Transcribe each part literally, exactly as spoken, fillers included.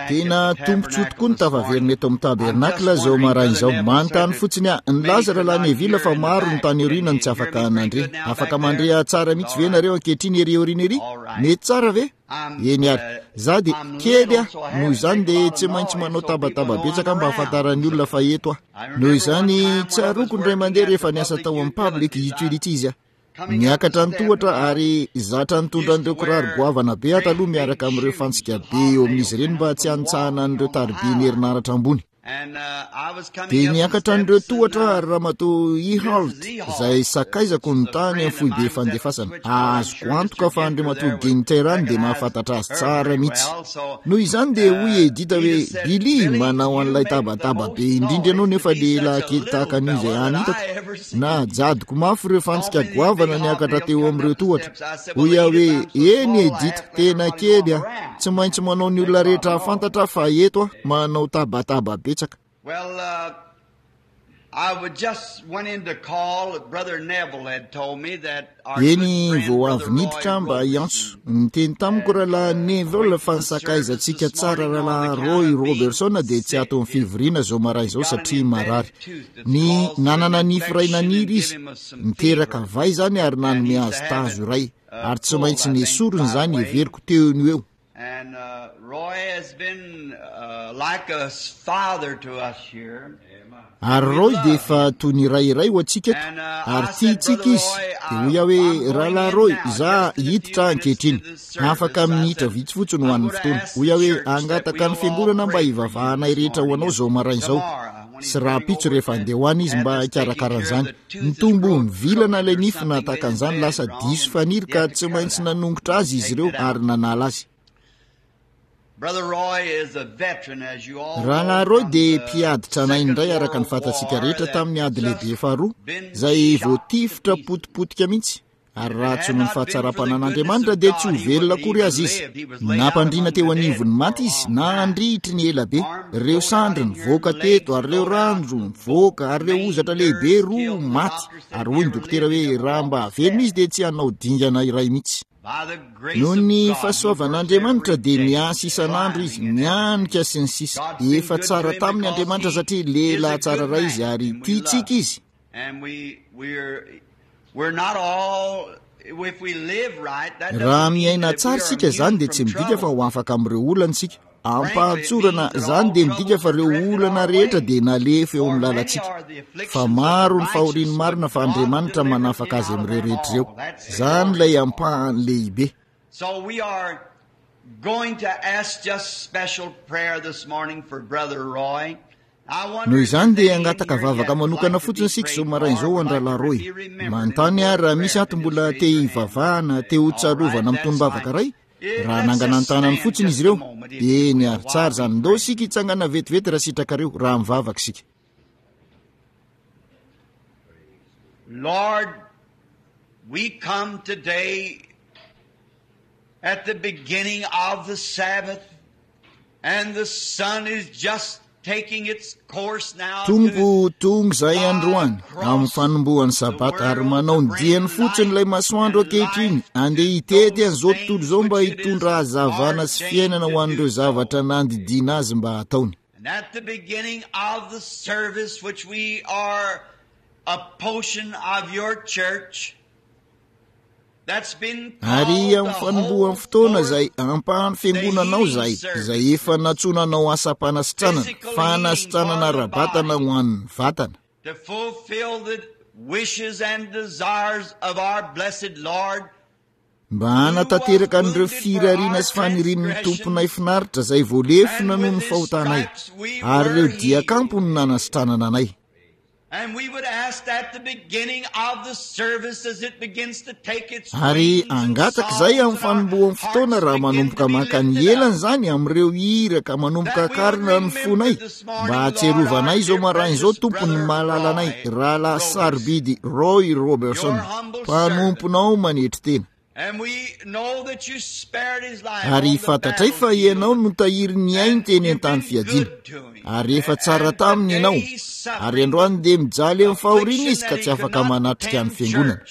Tena tombontsoa tokoa ny tafaverina eto amin'ny tabernakla izao maraina izao. Manontany fotsiny aho, nilaza Rahalahy Neville fa maro ny tany aoriana no tsy afaka nandre. Afaka mandre ahy tsara mihitsy ve nareo ankehitriny ery aoriana ery? Mety tsara ve? Eny ary. Za dia kely aho, noho izany dia tsy maintsy manao tabataba betsaka mba hahafantaran'ny olona fa eto aho. Noho izany, tsaroako indray mandeha rehefa niasa tao amin'ny Public Utilities aho. Niakatra ny tohatra ary zatra nitondra an'ireo kiraro goavana be aho taloha miaraka amin'ireo fantsika be eo amin'izy ireny mba tsy hanitsahana an'ireo taribian'ny herinaratra ambony. Dia niakatra an'ireo tohatra aho ary Ramatoa Ehalt, izay sakaizako no tany amin'ny foibe fandefasana. Azoko antoka fa Andriamatoa Ginteran dia mahafantatra azy tsara mihitsy. Noho izany dia hoy Edith hoe, Billy, manao an'ilay tabataba be indrindra ianao nefa lehilahy kely tahaka an'io izay hany hitako. Najadoko mafy ireo fantsika goavana niakatra teo amin'ireo tohatra. Hoy aho hoe, Eny Edith, tena kely aho. Tsy maintsy manao ny olona rehetra hahafantatra aho fa eto aho, manao tabataba betsaka. Eny, vao avy niditra aho mba hiantso. Niteny tamiko Rahalahy Neville fa ny sakaizantsika tsara Rahalahy Roy Roberson dia tsy ato amin'ny fivoriana izao maraina izao satria marary. Ny nanana nify iray naniry izy, niteraka vay izany ary nanome azy tazo iray, ary tsy maintsy nesoriny izany heveriko teo no eo. Ary Roy dia efa toy ny ray iray ho antsika eto, ary tiantsika izy. Dia hoy aho hoe, Rahalahy Roy, izaho hiditra aho ankehitriny. Afaka minitra vitsy fotsiny ho an'ny fotoana. Hoy aho hoe, Hangataka ny fiangonana mba hivavahanay rehetra ho anao izao maraina izao. Sy rahampitso rehefa handeha ho any izy mba hikarakara an'izany. Nitombo nivilana ilay nify na tahaka an'izany, lasa diso faniry ka tsy maintsy nanongotra azy izy ireo ary nanala azy. Rahalahy Roy dia mpiady tranainy indray araka ny fantatsika rehetra tamin'ny ady lehibe faharoa, izay voatifitra potipotika mihitsy. Ary raha tsy noho ny fahatsaram-panan'Andriamanitra dia tsy ho velona akory aza izy. Nampandriana teo anivon'ny maty izy, nandritry ny ela be. Ireo sandry nivoaka teto, ary ireo ranjo nivoaka, ary ireo hozatra lehibe roa maty. Ary hoy ny dokotera hoe, raha mba velona izy dia tsy hanao dingana iray mihitsy. Noho ny fahasoavan'Andriamanitra dia miasa isan'andro izy, mianika sy ny sisa. Efa tsara taminy Andriamanitra satria lehilahy tsara ray izy ary tiantsika izy. Raha miaina tsara isika, izany dia tsy midika fa ho afaka amin'ireo olana isika. Am-pahatsorana, izany dia midika fa ireo olana rehetra dia nalefa eo amin'ny lalantsika. Fa maro ny fahorian'ny marina fa Andriamanitra manafaka azy amin'ireo rehetra ireo. Izany ilay ampahany lehibe. Noho izany dia hangataka vavaka manokana fotsiny isika izao maraina izao ho an-dRahalahy Roy. Manontany aho raha misy ato mbola te hivavahana, te ho tsarovana amin'ny tonom-bavaka iray? Raha hanangana ny tanany fotsiny izy ireo. Eny ary, tsara izany. Ndao isika hitsangana vetivety raha sitrakareo, raha mivavaka isika. Lord, we come today at the beginning of the Sabbath. Tompo, tonga izahay androany, amin'ny fanombohan'ny Sabata, ary manao ny diany fotsiny ilay masoandro ankehitriny, andeha hitety an'izao tontolo izao mba hitondra hazavana sy fiainana ho an'ireo zavatra nandidiana azy mba hataony. Ary amin'ny fanombohan'ny fotoana izay ampahan'ny fiangonanao izay, izay efa nantsoina hanao asam-panasitranana, fanasitranana ara-batana ho an'ny vatana. Mba hanatanteraka an'ireo firariana sy fanirian'ny Tomponay finaritra izay voalefona noho ny fahotanay, ary ireo diakampo no nanasitranana anay. Ary hangataka izay amin'ny fanombohan'ny fotoana raha manomboka maka ny elany izany amin'ireo hira ka manomboka akarina ny fonay mba hahatsiarovanay izao maraina izao Tompo ny malalanay Rahalahy sarobidy Roy Roberson mpanomponao manetry tena. Ary fantatray fa Ianao no tahiry ny ainy teny an-tany fiadiana. Ary efa tsara taminy Ianao. Ary androany dia mijaly amin'ny fahoriana izy ka tsy afaka manatrika ny fiangonana.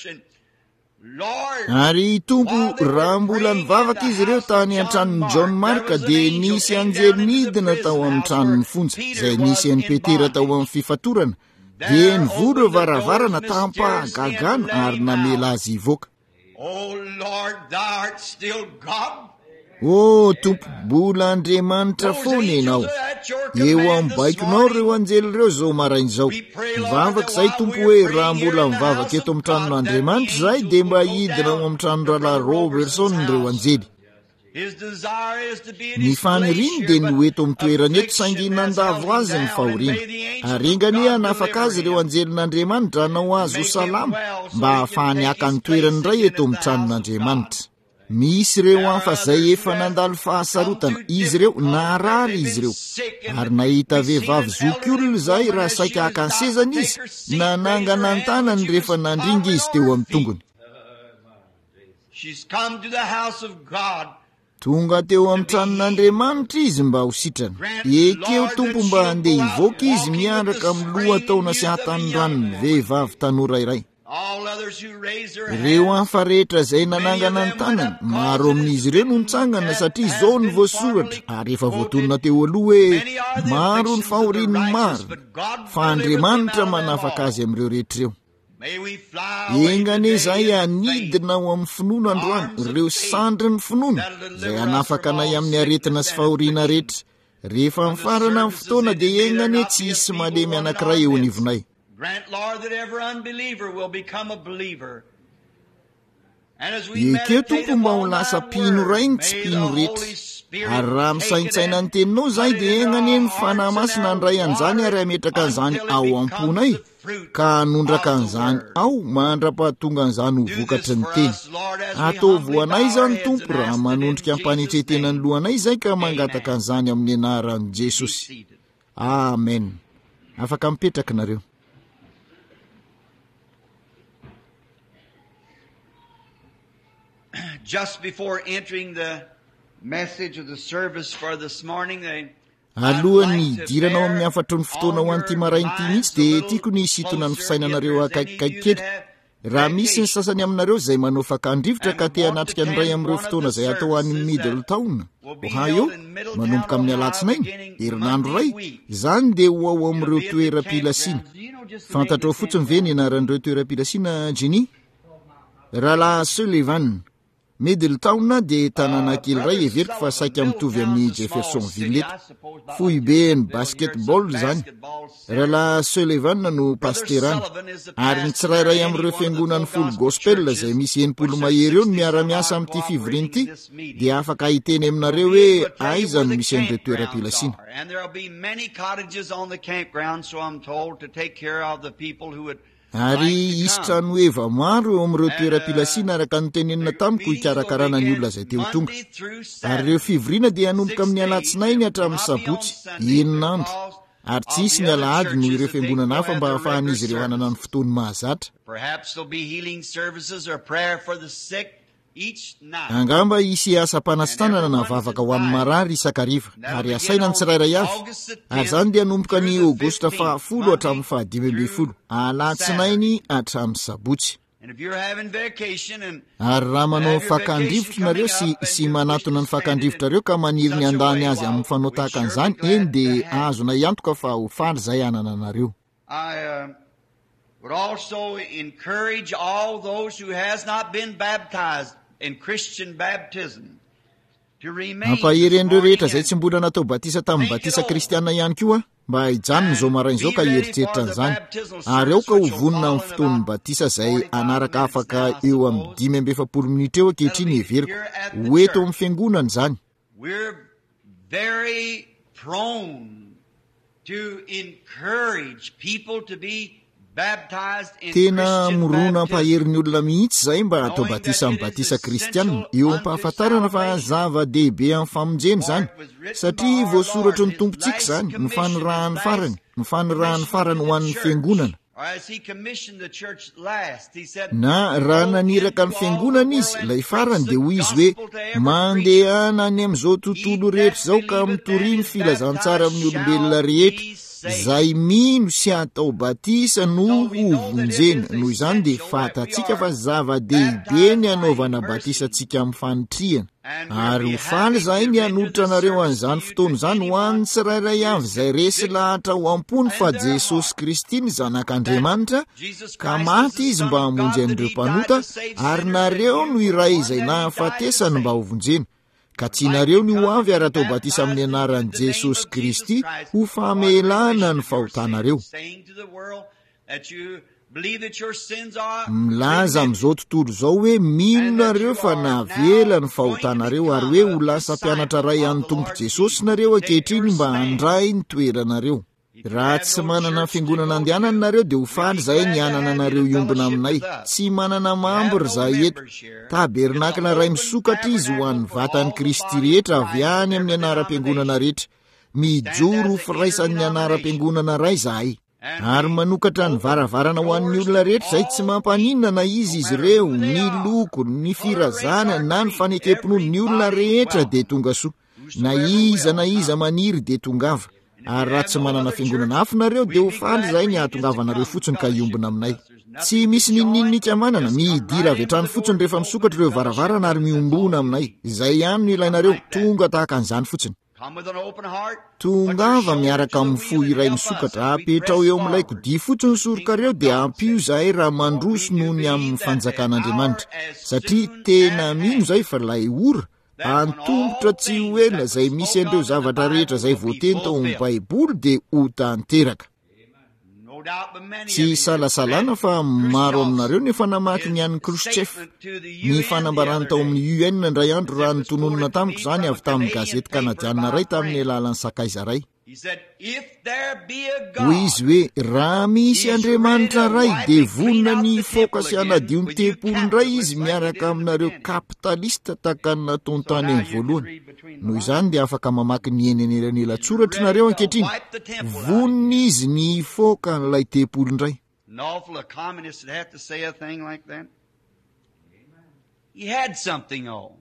Ary Tompo, raha mbola nivavaka izy ireo tany an-tranon'i John Mark, dia nisy anjely nidina tao amin'ny tranon'ny fonja, izay nisy an'i Petera tao amin'ny fifatorana, dia nivoha ireo varavarana tam-pahagagana ary namela azy hivoaka. O Tompo, mbola Andriamanitra foana ianao. Eo amin'ny baikonao ireo anjely ireo izao maraina izao. Mivavaka izahay Tompo hoe raha mbola mivavaka eto amin'ny tranon'Andriamanitra izahay, dia mba hidina ao amin'ny tranon-drahalahy Robertson ireo anjely. Ny faniriany dia ny ho eto amin'ny toerana eto, saingy nandavo azy ny fahoriana. Ary enga anie hanafaka azy ireo anjelin'Andriamanitra hanao azy ho salama mba hahafahany haka ny toerany indray eto amin'ny tranon'Andriamanitra. Misy ireo hafa izay efa nandalo fahasarotana, izy ireo naharary izy ireo. Ary nahita vehivavy zokiolona izahay raha saika haka ny sezany izy, nanangana ny tanany rehefa nandringa izy teo amin'ny tongony. Tonga teo amin'ny tranon'Andriamanitra izy mba ho sitrana. Ekeo Tompo mba handeha hivoaka izy miaraka amin'ny lohataona sy hatanorany vehivavy tanora iray. Ireo hafa rehetra izay nanangana ny tanany, maro amin'izy ireo no nitsangana satria izao no voasoratra ary efa voatonona teo aloha hoe maro ny fahorian'ny marina, fa Andriamanitra manafaka azy amin'ireo rehetra ireo. Enga anie izahay hanidina ao amin'ny finoana androany, ireo sandrin'ny finoana izay hanafaka anay amin'ny aretina sy fahoriana rehetra. Rehefa mifarana ny fotoana dia enga anie tsy hisy malemy anankiray eo anivonay. Ekeo Tompo mba ho lasa mpino iray ny tsy mpino rehetra. Ary raha misaintsaina ny teninao izahay dia enga anie ny Fanahy Masina handray an'izany ary hametraka an'izany ao am-ponay, ka hanondraka an'izany ao mandra-pahatonga an'izany ho vokatry ny teny. Ataovy ho anay izany Tompo raha manondrika am-panetren-tena ny lohanay izahay ka mangataka an'izany amin'ny anaran'i Jesosy. Amen. Afaka mipetraka nareo. Just before entering the message of the service for this morning, they Alohan'ny hidirana ao amin'ny hafatry ny fotoana ho an'ity maraina ity mihitsy dia tiako ny hisintona ny fisainanareo akaikikaiky kely. Raha misy ny sasany aminareo izay manao fakan-drivotra ka te hanatrika ny iray amin'ireo fotoana izay atao any Middletown, Ohio, manomboka amin'ny alatsinainy, herinandro iray, izany dia ho ao amin'ireo toeram-pilasiana. Fantatrao fotsiny ve ny anaran'ireo toeram-pilasiana, Jenny? Rahalahy Sullivan. Middletown dia tanàna kely iray heveriko fa saika mitovy amin'ny Jeffersonville eto. Foiben'ny basketball izany. Rahalahy Sullivan no pasterany. Ary ny tsirairay amin'ireo fiangonan'ny Full Gospel izay misy enimpolo mahery eo no miara-miasa amin'ity fivoriana ity dia afaka hiteny aminareo hoe aiza no misy an'ireo toeram-pilasiana. Ary hisy trano heva maro eo amin'ireo toeram-pilasiana araka ny tenenina tamiko hikarakarana ny olona izay te ho tonga. Ary ireo fivoriana dia hanomboka amin'ny alatsinainy hatramin'ny sabotsy, enina andro. Ary tsy hisy ny alahady noho ireo fiangonana hafa mba hahafahan'izy ireo hanana ny fotoany mahazatra. Angamba hisy asam-panasitranana na vavaka ho an'ny marary isan-kariva, ary asaina ny tsirairay avy. Ary izany dia hanomboka ny Aogositra fahafolo hatramin'ny fahadimy ambin'ny folo, alatsinainy hatramin'ny sabotsy. Ary raha manao fakan-drivotra nareo sy, sy manatona ny fakan-drivotrareo ka maniry ny handany azy amin'ny fanao tahaka an'izany, eny dia azonay antoka fa ho faly izay hanana anareo. Would also encourage all those who has not been baptized in Christian baptism to remain Mampahery an'ireo rehetra izay tsy mbola natao batisa tamin'ny batisa kristiana ihany koa mba hijanona izao maraina izao ka hieritreritra an'izany. Ary aoka ho vonona amin'ny fotoan'ny batisa izay hanaraka afaka eo amin'ny dimy amby efapolo minitra eo ankehitriny heveriko. Ho eto amin'ny fiangonana izany. We're very prone to encourage people to be baptized in Tena Christian mirona baptism, hampahery ny olona mihitsy izahay mba hatao knowing that batisa it amin'ny is batisa essential kristiana, eo unto am-pahafantarana fa salvation. zava-dehibe amin'ny famonjena For izany, it was written by satria our voasoratry Lord, ny his Tompontsika last izany, ny commission, his fanirahany last farany, ny fanirahany commission to farany ho the an'ny church. fiangonana. Or as he commissioned the church last, he said, Na raha Go naniraka ny into all the fiangonana izy, world and ilay preach farany the dia hoy izy hoe, gospel to every creature. Mandehana any amin'izao He tontolo that rehetra izao ka believeth and mitoria ny is filazantsara baptized amin'ny olombelona shall rehetra. be Izay mino sy atao batisa no hovonjena. Noho izany dia fantatsika fa zava-dehibe ny anaovana batisa antsika amin'ny fanitrihana. Ary ho faly izahay ny hanolotra anareo an'izany fotoana izany ho an'ny tsirairay avy izay resy lahatra ho am-pony fa Jesosy Kristy ny Zanak'Andriamanitra, ka maty izy mba hamonjy an'ireo mpanota, ary nareo no iray izay nahafatesany mba hovonjena. Ka tianareo ny ho avy ary atao batisa amin'ny anaran'i Jesosy Kristy ho famelana ny fahotanareo. Milaza amin'izao tontolo izao hoe mino nareo fa navela ny fahotanareo ary hoe ho lasa mpianatra ray an'ny Tompo Jesosy nareo ankehitriny mba handray ny toeranareo. Raha tsy manana fiangonana andehanana nareo dia ho faly izahay ny hanana anareo hiombona aminay. Tsy manana mambra izahay eto. Tabernakla iray misokatra izy ho an'ny vatan'i Kristy rehetra avy any amin'ny anaram-piangonana rehetra. Mijoro ho firaisan'ny anaram-piangonana iray izahay. Ary manokatra ny varavarana ho an'ny olona rehetra izay tsy mampaninona na izy izy ireo, ny loko, ny firazana na ny fanekem-pinoana, ny olona rehetra dia tonga soa. Na iza na iza maniry dia tongava. Ary raha tsy manana fiangonana hafa nareo dia ho faly izahay ny hahatongavanareo fotsiny ka hiombona aminay. Tsy misy n'inon'inona manana, midira avy hatrany fotsiny rehefa misokatra ireo varavarana ary miombona aminay. Izay ihany no ilainareo, tonga tahaka an'izany fotsiny. Tongava miaraka amin'ny fo iray misokatra, apetrao eo amin'ilay kodia fotsiny sorokareo dia ampio izahay raha mandroso noho ny amin'ny fanjakan'Andriamanitra. Satria tena mino izahay fa ilay ora antomotra tsy ho ela izay misy an'ireo zavatra rehetra izay voateny tao amin'ny Baiboly dia ho tanteraka. Tsy isalasalana fa maro aminareo no efa namaky ny an'i Khrushchev, ny fanambarany tao amin'ny U N indray andro raha notononina tamiko izany avy tamin'ny gazety kanadianina iray tamin'ny alalan'ny sakaiza iray. Hoy izy hoe, raha misy Andriamanitra iray dia vonona ny hifoka sy hanadio ny tempoly indray izy miaraka aminareo kapitalista tahaka ny nataony tany amin'ny voalohany. Noho izany dia afaka mamaky ny eny anelanelan-tsoratra nareo ankehitriny. Vonona izy ny hifoka an'ilay tempoly indray.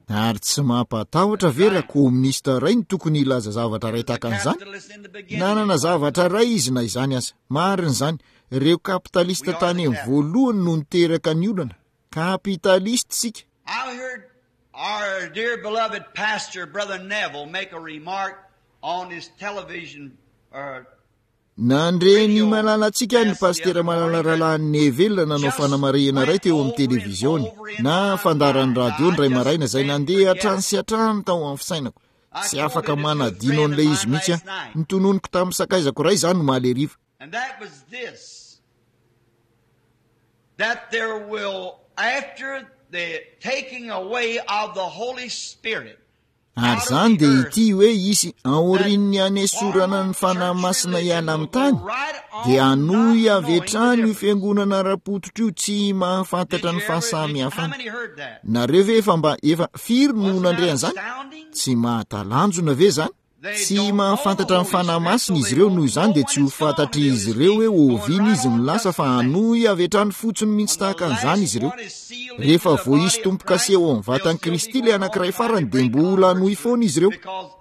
Ary tsy mampatahotra ve raha kominista iray no tokony hilaza zavatra iray tahaka an'izany? Nanana zavatra iray izy na izany aza. Marina izany. Ireo kapitalista tany amin'ny voalohany no niteraka ny olana. Kapitalista isika. I heard our dear beloved pastor, Brother Neville, make a remark on his television or Nandre ny malalantsika ny pastera malala rahalahy Neville nanao fanamarihana iray teo amin'ny televiziony na fandaharan'ny radio indray maraina izay nandeha hatrany sy hatrany tao amin'ny fisainako. Tsy afaka manadino an'ilay izy mihitsy aho. Notononiko tamin'ny sakaizako iray izany omaly hariva. And that was this, that there will, after the taking away of the Holy Spirit, Ary izany dia ity hoe hisy aorian'ny hanesorana ny Fanahy Masina hiala amin'ny tany, dia hanohy avy hatrany io fiangonana ara-pototra io tsy mahafantatra ny fahasamihafana. Nareo ve efa mba efa firy no nandre an'izany? Tsy mahatalanjona ve izany? Tsy mahafantatra ny Fanahy Masina izy ireo, noho izany dia tsy ho fantatr'izy ireo hoe oviana izy no lasa, fa hanohy avy hatrany fotsiny mihitsy tahaka an'izany izy ireo. Rehefa voaisy tombo-kase ao amin'ny vatan'i Kristy ilay anankiray farany dia mbola hanohy foana izy ireo.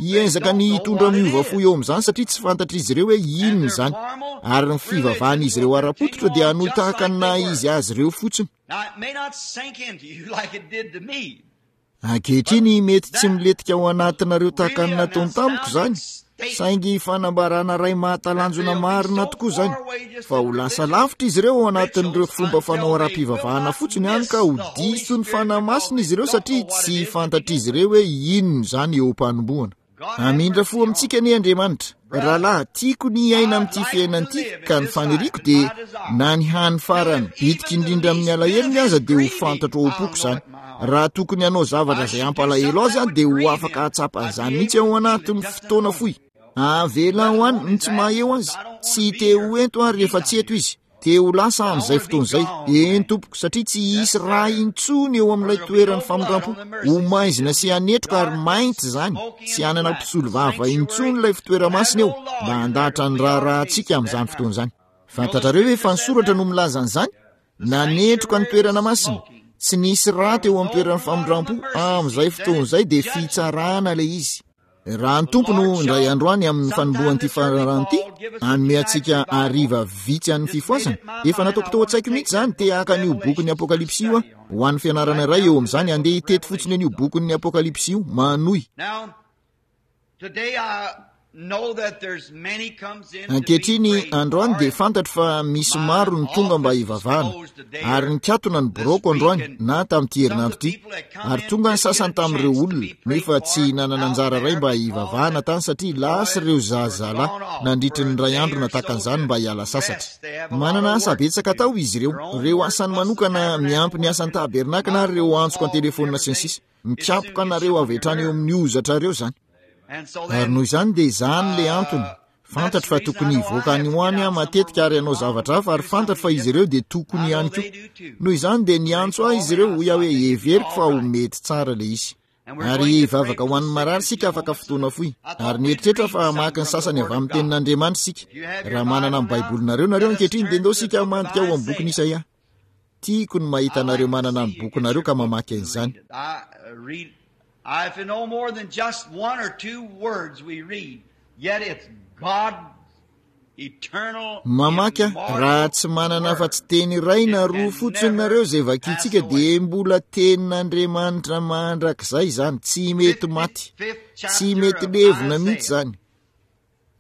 Hiezaka ny hitondra miova fo eo amin'izany satria tsy fantatr'izy ireo hoe inona izany. Ary ny fivavahan'izy ireo ara-pototra dia hanohy tahaka ny naha izy azy ireo fotsiny. Ankehitriny mety tsy milentika ao anatinareo tahaka ny nataony tamiko izany, saingy fanambarana iray mahatalanjona marina tokoa izany, fa ho lasa lavitra izy ireo ao anatin'ireo fomba fanao ara-pivavahana fotsiny hany ka ho diso ny Fanahy Masina izy ireo satria tsy fantatr'izy ireo hoe inona izany eo am-panombohana. Hamindra fo amintsika anie Andriamanitra. Rahalahy, tiako ny hiaina amin'ity fiainana ity, ka ny faniriako dia na ny hany farany bitika indrindra amin'ny alahelony aza dia ho fantatro ao am-poko izany. Raha tokony hanao zavatra izay hampalahelo azy aho dia ho afaka hahatsapa an'izany mihitsy ao anatin'ny fotoana fohy. Avelao any ny tsy maha eo azy. Tsy te ho ento aho rehefa tsy eto izy. Te ho lasa amin'izay fotoana izay. Eny tompoko, satria tsy hisy rà intsony eo amin'ilay toeran'ny famindram-po. Ho maizina sy hanetroka ary mainty izany. Tsy hanana mpisolovava intsony ilay fitoera-masina eo mba handahatra ny raharahantsika amin'izany fotoana izany. Fantatrareo ve fa ny soratra no milaza an'izany? Nanetroka ny toerana masina. Tsy nisy rà teo amin'ny toeran'ny famindram-po. Amin'izay fotoana izay dia fitsarana ilay izy. Raha ny Tompo no indray androany amin'ny fanombohan'ity fararano ity, hanome antsika hariva vitsy an'ny fifohazana. Efa nataoko tao an-tsaiko mihitsy izany, te haka an'io bokin'ny Apokalypsy io aho. Ho an'ny fianarana iray eo amin'izany, andeha hitety fotsiny an'io bokin'ny Apokalypsy io, manohy. Ankehitriny androany dia fantatro fa misy maro ny tonga mba hivavahana, ary nikatona ny biraoko androany na tamin'ity herinandro ity, ary tonga ny sasany tamin'ireo olona nefa tsy nanana anjara iray mba hivavahana tany satria lasa ireo zazalahy nandritry ny iray andro na takan'izany mba hiala sasatra. Manana asa betsaka atao izy ireo, ireo asany manokana miampy ny asan'ny tabernakla ary ireo antsoko an-telefonina sy ny sisa. Mikapoka anareo avy hatrany eo amin'ny hozatrareo izany. Ary noho izany dia izany le antony. Fantatro fa tokony hivoaka any ho any aho matetika ary hanao zavatra hafa, ary fantatro fa izy ireo dia tokony ihany koa. Noho izany dia niantso ahy izy ireo, hoy aho hoe heveriko fa ho mety tsara le izy. Ary hivavaka ho an'ny marary isika afaka fotoana fohy. Ary nieritreritra fa hamaky ny sasany avy amin'ny tenin'Andriamanitra isika. Raha manana ny Baibolinareo nareo ankehitriny dia ndao isika hamadika ao amin'ny bokin'i Isaia. Tiako ny mahita anareo manana ny bokinareo ka mamaky an'izany. If no more than just one or two words we read, yet it's God's eternal Mamaky aho, raha tsy manana afa-tsy teny iray na roa fotsiny nareo izay vakintsika dia mbola tenin'Andriamanitra mandrakizay izany, tsy mety maty, tsy mety levona mihitsy izany.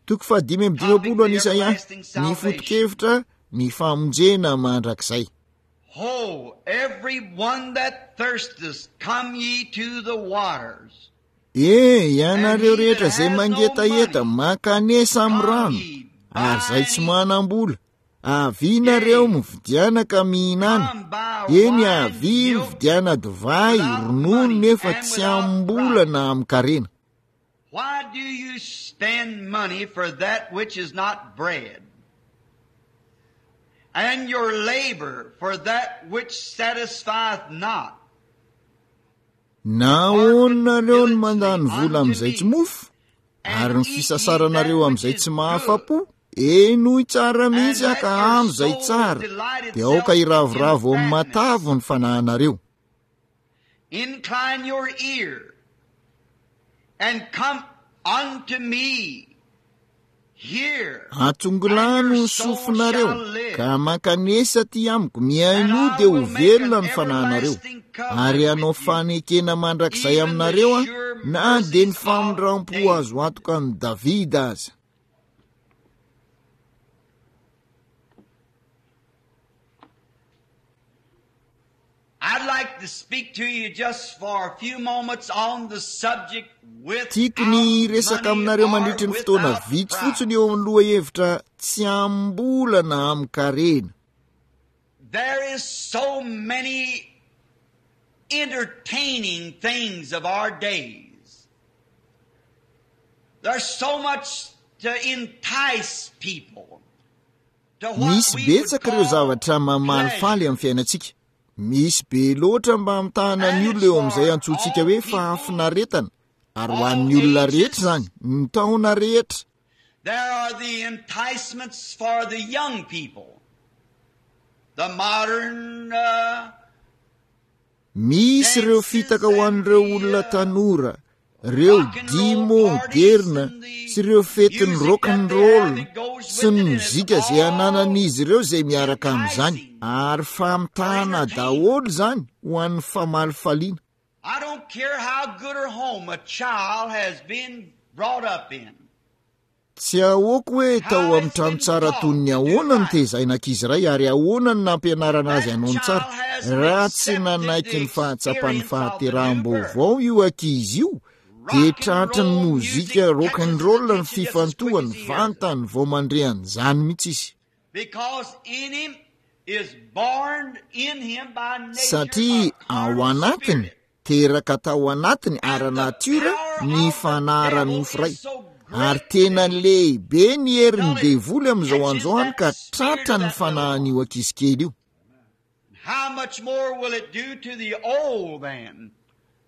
Toko fahadimy amby dimampolo an'Isaia, ny foto-kevitra ny famonjena mandrakizay. Ho, every one that thirsteth, come ye to the waters. E, ianareo rehetra izay mangetaheta, mankanesa amin'ny rano, ary izay tsy manam-bola, avia nareo mividiana ka mihinana. Eny, avia mividiana divay, ronono, nefa tsy amim-bola na amin-karena. Why do you spend money for that which is not bread, and your labor for that which satisfieth not? Nahoana nareo no mandany vola amin'izay tsy mofo, ary ny fisasaranareo amin'izay tsy mahafa-po? Henoy tsara mihitsy aho ka hano izay tsara, dia aoka hiravoravo amin'ny matavy ny fanahinareo. Incline your ear and come unto me. Hear, Atongilano ny sofinareo ka mankanesa aty amiko, mihainoa dia ho velona ny fanahinareo, ary hanao fanekena mandrakizay aminareo aho, na dia ny famindram-po azo antoka an'i Davida aza. I'd like to speak to you just for a few moments on the subject Tiako ny hiresaka without aminareo money mandritry or ny fotoana without vitsy price. fotsiny eo amin'ny lohahevitra tsy amim-bola na amin-karena. There is so many entertaining things of our days. There's so much to entice people to what Misy we would betsaka ireo call zavatra mamalifaly pleasure. amin'ny fiainantsika. Misy be loatra mba hamitahana ny And olona it's eo amin'izay for antsointsika all hoe people, fahafinaretana, ary ho all an'ny olona rehetra ages. izany, ny taona rehetra. There are the enticements for the young people, the modern uh, Misy ireo dances fitaka ho and an'ireo the olona uh, tanora, ireo rock and dihy roll parties moderna and the sy ireo fetin'ny music rock that and they roll have that goes sy with ny it, and it's mozika izay all ananan'izy ireo izay miaraka amin'izany, enticing ary for famitahana entertainment. daholo izany ho an'ny famalifaliana. I don't care how good a home a child has been brought up in, Tsy ahoako hoe tao how amin'ny it's trano been tsara toy taught ny to do ahoana ny right. tezaina ankizy iray ary ahoana ny nampianarana azy That hanao ny tsara. child hasn't Raha tsy accepted nanaiky the ny fahatsapan'ny experience of the new birth. fahateraham-baovao io ankizy io, dia Rock and tratry ny roll mozika music rock and catches his roll ny attention just as quick fifantohany as he hears it. vantany vao mandre an'izany mihitsy izy. Because in him is born in him by nature Satria a ao carnal anatiny, spirit. teraka tao anatiny And the ara-natiora power ny of the devil fanahy-nofo iray. is so Ary great tena today lehibe ny herin'ny till it devoly amin'izao catches androany that ka spirit tratra of ny that little one. fanahin'io ankizy kely io. How much more will it do to the old man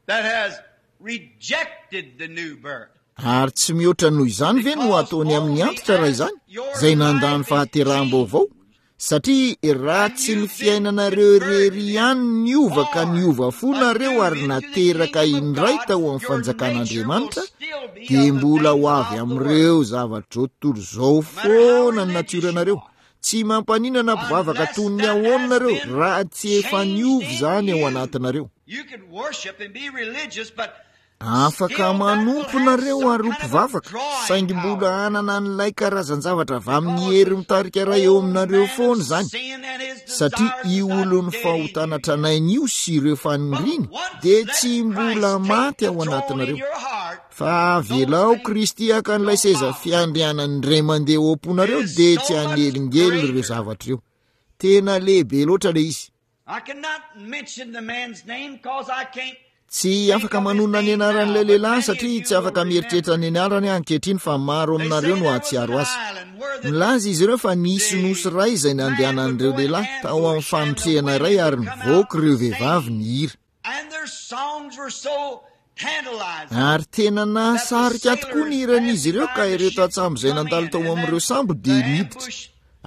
that has rejected the new birth? Ary tsy mihoatra noho izany ve no Because ataony amin'ny only antitra raha as izany, your izay nandany life is fahateraham-baovao? changed Satria raha and tsy ny you've been fiainanareo converted irery and ihany niova ka born niova fo nareo anew ary into the nateraka kingdom of indray God, tao amin'ny your nature will fanjakan'Andriamanitra, still be dia mbola ho avy amin'ireo zavatra izao tontolo izao foana ny natioranareo. Tsy mampaninona mpivavaka toy ny ahoana nareo raha tsy efa niova izany ao anatinareo. Afaka manompo nareo ary ho mpivavaka, saingy mbola hanana an'ilay karazan-javatra avy amin'ny hery mitarika iray eo aminareo foana izany, satria io olon'ny fahotana tranainy io sy ireo faniriany dia tsy mbola maty ao anatinareo. Fa avelao Kristy haka an'ilay seza fiandrianany indray mandeha ao am-ponareo, dia tsy hanelingelina ireo zavatra ireo. Tena lehibe loatra ilay izy. Tsy afaka manonona ny anaran'ilay lehilahy satria tsy afaka mieritreritra ny anarany ankehitriny, fa maro aminareo no hahatsiaro azy. Milaza izy ireo fa nisy nosy iray izay nandehanan'ireo lehilahy tao amin'ny fanotrehana iray, ary nivoaka ireo vehivavy nihira. Ary tena nahasarika tokoa ny hiran'izy ireo, ka ireo tantsambo izay nandalo tao amin'ireo sambo dia niditra.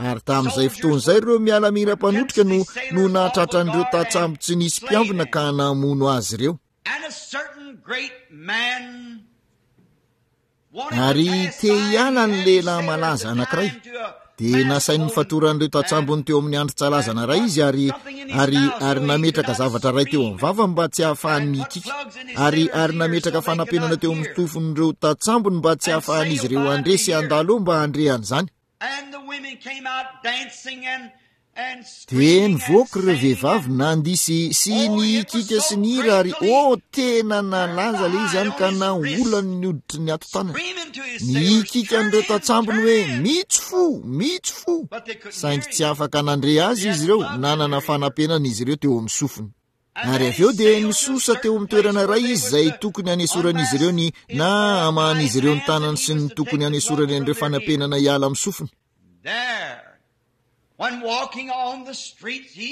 Ary tamin'izay fotoana izay ireo miaramila mpanotrika no no nahatratra an'ireo tantsambo tsy nisy mpiambina ka namono azy ireo. Ary te hiala ny lehilahy malaza anankiray, dia nasainy nifatoran'ireo tantsambony teo amin'ny andrin-tsalazana iray izy, ary, ary, ary nametraka zavatra iray teo amin'ny vavany mba tsy hahafahany mikiky, ary, ary nametraka fanampenana teo amin'ny tofon'ireo tantsambony mba tsy hahafahan'izy ireo handre sy handalo eo mba handre an'izany. Dia nivoaka ireo vehivavy nandihy sy, sy nihikika sy nihira, ary oh, tena nalaza ilay izy any ka naolany ny hoditry ny hatotanany. Nihikika an'ireo tantsambony hoe, Mitsy fo, mitsy fo. Saingy tsy afaka nandre azy izy ireo, nanana fanampenana izy ireo teo amin'ny sofiny. Ary avy eo dia nisosa teo amin'ny toerana iray izy izay tokony hanesoran'izy ireo ny, na hamahan'izy ireo ny tanany sy ny tokony hanesorany an'ireo fanampenana hiala amin'ny sofiny.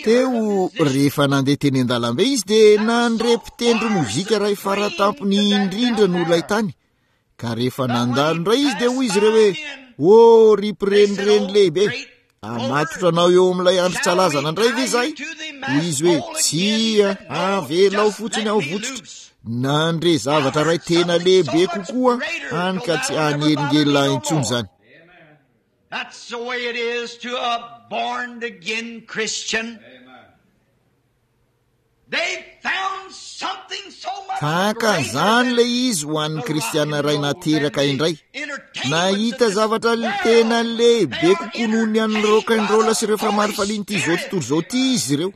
Teo, rehefa nandeha teny an-dalambe izy, dia nandre mpitendry mozika iray faratampony indrindra no ilay tany. Ka rehefa nandalo indray izy, dia hoy izy ireo hoe, O ry mpirenireny lehibe, hamatotra anao eo amin'ilay andrin-tsalazana indray ve izahay? Hoy izy hoe, Tsia, avelao fotsiny aho votsotra. Nandre zavatra iray tena lehibe kokoa, hany ka tsy hanelingelina ahy intsony izany. That's the way it is to a born again Christian. They found something so much Tahaka an'izany ilay izy ho an'ny kristiana iray nateraka indray. Nahita zavatra tena lehibe kokoa noho ny an'ny rock and roll sy ireo famarifalian'ity izao tontolo izao ity izy ireo.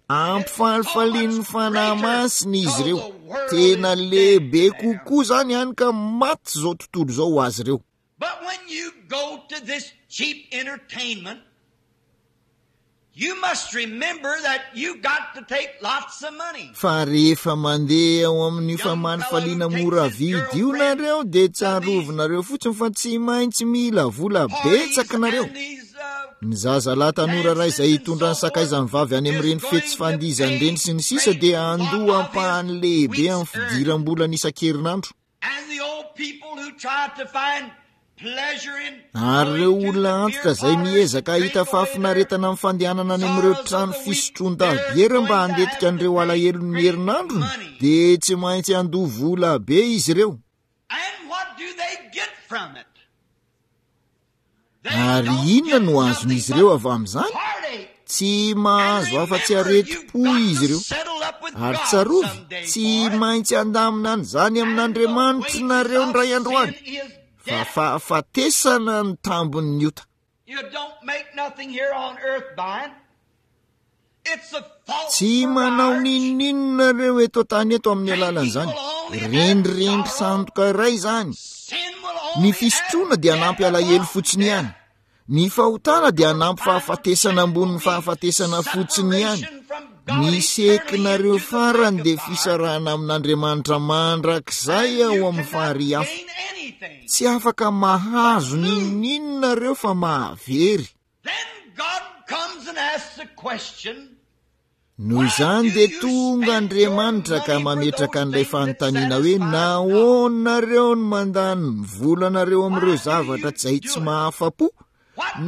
Ampifalifalian'ny Fanahy Masina izy ireo. Tena lehibe kokoa izany hany ka maty izao tontolo izao ho azy ireo. But when you go to this cheap entertainment, you must remember that you got to take lots of money. Fa rehefa mandeha ao amin'io famalifaliana mora vidy io nareo, dia tsarovinareo fotsiny fa tsy maintsy mila vola betsaka nareo. Ny zazalahy tanora iray izay hitondra ny sakaizany vavy any amin'ireny fety sy fandihizana ireny sy ny sisa dia handoa ampahany lehibe amin'ny fidiram-bolany isan-kerinandro. Ary ireo olona antitra izay miezaka hahita fahafinaretana amin'ny fandehanana any amin'ireo trano fisotroan-dabiera mba handetika an'ireo alahelon'ny herinandrony dia tsy maintsy handoa vola be izy ireo. Ary inona no azon'izy ireo avy amin'izany? Tsy mahazo afa-tsy aretim-po izy ireo. Ary tsarovy, tsy maintsy handamina an'izany amin'Andriamanitra nareo indray andro any, fa fahafatesana ny tambin'ny ota. Tsy manao n'inon'inona ireo eto an-tany eto amin'ny alalan'izany. Rendrendry sandoka iray izany. Ny fisotroana dia hanampy alahelo fotsiny ihany. Ny fahotana dia hanampy fahafatesana ambonin'ny fahafatesana fotsiny ihany. Ny sekinareo farany dia fisarahana amin'Andriamanitra mandrakizay ao amin'ny farihy afo. Tsy afaka mahazo n'inon'inona ireo fa mahavery. Noho izany dia tonga Andriamanitra ka mametraka an'ilay fanontaniana hoe, nahoana nareo no mandany ny volanareo amin'ireo zavatra izay tsy mahafa-po?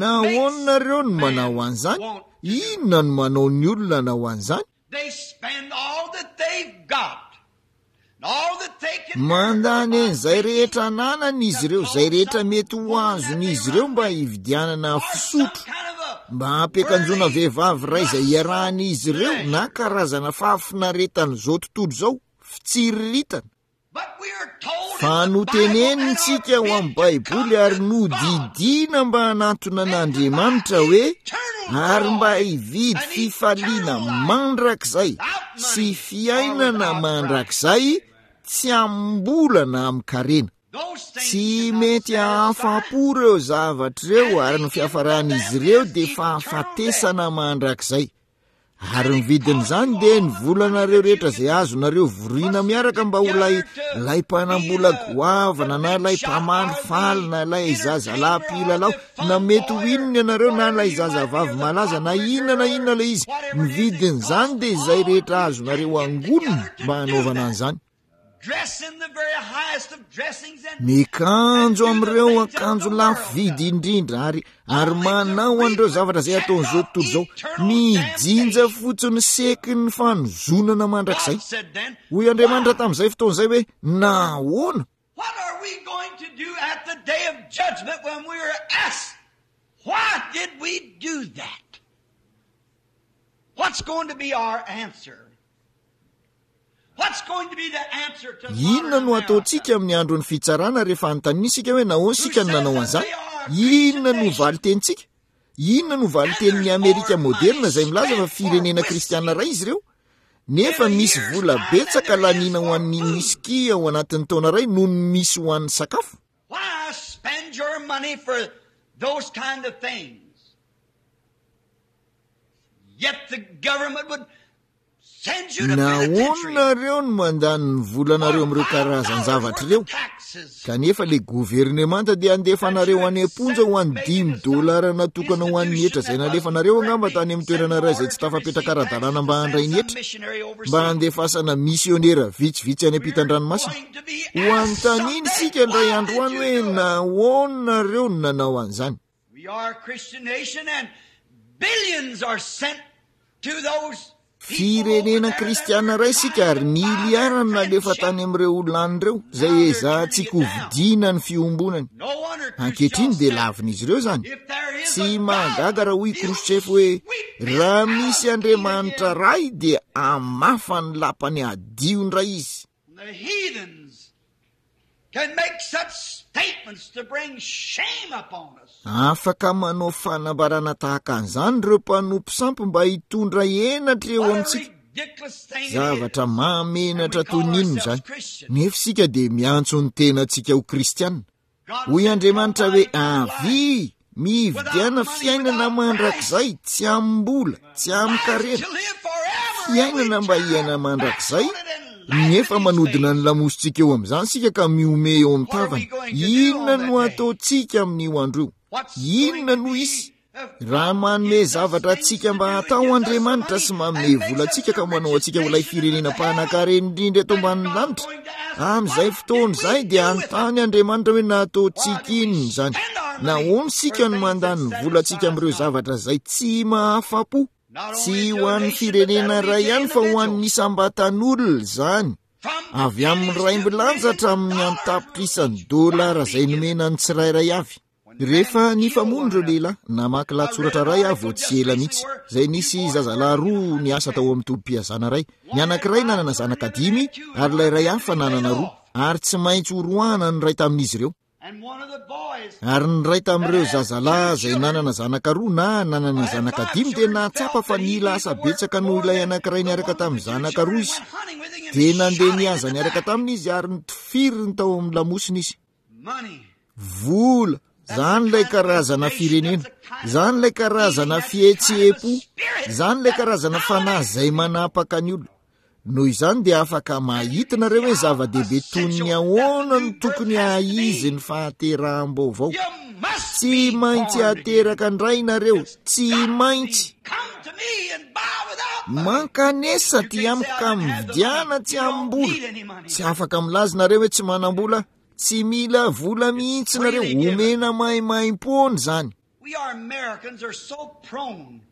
Nahoana nareo no manao an'izany? Inona no manao ny olona hanao an'izany? Mandany an'izay rehetra ananany izy ireo, izay rehetra mety ho azon'izy ireo mba hividianana fisotro, mba hampiakanjoana vehivavy iray izay iarahan'izy ireo na karazana fahafinaretan'izao tontolo izao, fitsiriritana. Fa notenenintsika ao amin'ny Baiboly ary nodidiana mba hanantona an'Andriamanitra hoe ary mba hividy fifaliana mandrakizay sy fiainana mandrakizay tsy amim-bola na amin-karena. Tsy mety hahafa-po ireo zavatra ireo ary ny fiafaran'izy ireo dia fahafatesana mandrakizay. Ary ny vidin'izany dia ny volanareo rehetra izay azonareo vorina miaraka mba ho ilay ilay mpanambola goavana na ilay mpamandry faly na ilay zazalahy mpilalao na mety ho inona ianareo na ilay zazavavy malaza na inona na inona ilay izy. Ny vidin'izany dia izay rehetra azonareo angonina mba hanaovana an'izany. Miakanjo amin'ireo akanjo lafo vidy indrindra ary ary manao an'ireo zavatra izay ataon'izao tontolo izao, mijinja fotsiny seky ny fanozonana mandrakizay. Hoy Andriamanitra tamin'izay fotoana izay hoe, nahoana? What are we going to do at the day of judgment when we are asked, why did we do that? What's going to be our answer? Inona no ataontsika amin'ny andron'ny fitsarana rehefa anontaniana isika hoe nahoana isika no nanao an'izany? Inona no valin-tenintsika? Inona no valin-tenin'ny Amerika moderna izay milaza fa firenena kristiana iray izy ireo? Nefa misy vola betsaka laniana ho an'ny whisky ao anatin'ny taona iray noho ny misy ho an'ny sakafo. Why spend your money for those kind of things? Yet the government would Nahoana nareo no mandany ny volanareo amin'ireo karazan-javatra ireo? Kanefa ilay governemanta dia handefa anareo any am-ponja ho an'ny dimy dolara natokana ho an'ny hetra izay nalefanareo angamba tany amin'ny toerana iray izay tsy tafapetraka ara-dalàna mba handray ny hetra, mba handefasana misionera vitsivitsy any ampitan-dranomasina. Ho anontaniana isika indray andro any hoe nahoana nareo no nanao an'izany. We are a Christian nation and billions are sent to those Firenena kristiana iray isika ary miliara no nalefa tany amin'ireo olona any ireo izay ezahantsika hovidiana ny fiombonany. Ankehitriny dia lavin'izy ireo izany. Tsy mahagaga raha hoy Khrouchtchev hoe raha misy Andriamanitra Ray dia hamafa ny lapany hadio indray izy. The heathens can make such statements to bring shame upon us. Afaka manao fanambarana tahaka an'izany ireo mpanompo sampy mba hitondra henatra eo What a amintsika. ridiculous thing it is. Zavatra mahamenatra And we toy call ny inona ourselves izany. Christians. Nefa isika dia miantso ny tenantsika ho kristiana. God Hoy said, Andriamanitra "Come hoe by eternal life." avia, mividiana fiainana mandrakizay, tsy amim-bola, tsy amin-karena. To live forever Fiainana mba hiaina mandrakizay, nefa manodina ny lamositsika eo amin'izany isika ka mihomehy eo amin'ny tavany. Inona no ataontsika amin'io andro io? Inona no hisy? Raha manome zavatra antsika mba hatao Andriamanitra sy manome vola antsika ka manao antsika ho ilay firenena mpanankarena indrindra eto ambanin'ny lanitra, amin'izay fotoana izay dia hanontany Andriamanitra hoe nataontsika inona izany? Nahoana isika no mandany ny volantsika amin'ireo zavatra izay tsy mahafa-po? Tsy ho an'ny firenena iray ihany fa ho an'ny isam-batan'olona izany. Avy amin'ny raimbilanja hatramin'ny an-tapitrisany dolara izay nomena ny tsirairay avy. Rehefa nifamono ireo lehilahy, namaky lahatsoratra iray aho vao tsy ela mihitsy, izay nisy zazalahy roa niasa tao amin'ny tobim-pihazana iray. Ny anankiray nanana zanaka dimy ary ilay iray hafa nanana roa, ary tsy maintsy horoahana ny iray tamin'izy ireo. And one of the boys Ary ny iray tamin'ireo zazalahy izay nanana zanaka roa na nanana zanaka dimy dia nahatsapa fa nila asa betsaka noho ilay anankiray niaraka tamin'ny zanaka roa izy. Dia nandeha nihaza niaraka taminy izy ary nitifiriny tao amin'ny lamosiny izy. money. Vola, izany ilay karazana firenena, izany ilay karazana fihetseham-po, izany ilay karazana fanahy izay manapaka ny olona. Noho izany dia afaka mahita nareo hoe zava-dehibe toy ny ahoana no tokony haha-izy ny fahateraham-baovao. You must Tsy be maintsy born again. ateraka indray nareo, tsy maintsy. Come to me and buy without money. Mankanesa aty amiko ka mividiana tsy amim-bola. Tsy afaka milaza nareo hoe tsy manam-bola, tsy mila vola mihitsy nareo, omena maimaimpoana izany. We are Americans are so prone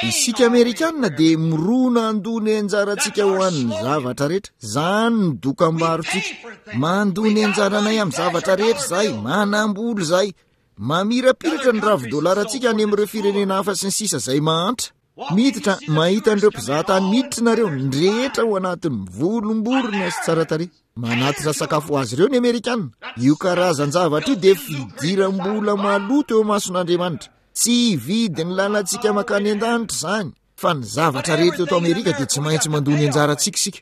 Isika Amerikanina dia mirona handoa ny anjarantsika ho an'ny zavatra rehetra. Izany ny dokam-barotsika. Mandoa ny anjaranay amin'ny zavatra rehetra izahay, manambola izahay. Mamirapiratra ny ravi-dolarantsika any amin'ireo firenena hafa sy ny sisa izay mahantra. Miditra, mahita an'ireo mpizahatany miditra nareo, ny rehetra ao anatin'ny volomborona sy tsara tarehy. Manatitra sakafo ho azy ireo ny Amerikanina. Io karazan-javatra io dia fidiram-bola maloto eo imason'Andriamanitra. Tsy hividy ny lalantsika mankany an-danitra izany, fa ny zavatra rehetra eto Amerika dia tsy maintsy mandoa ny anjarantsika isika.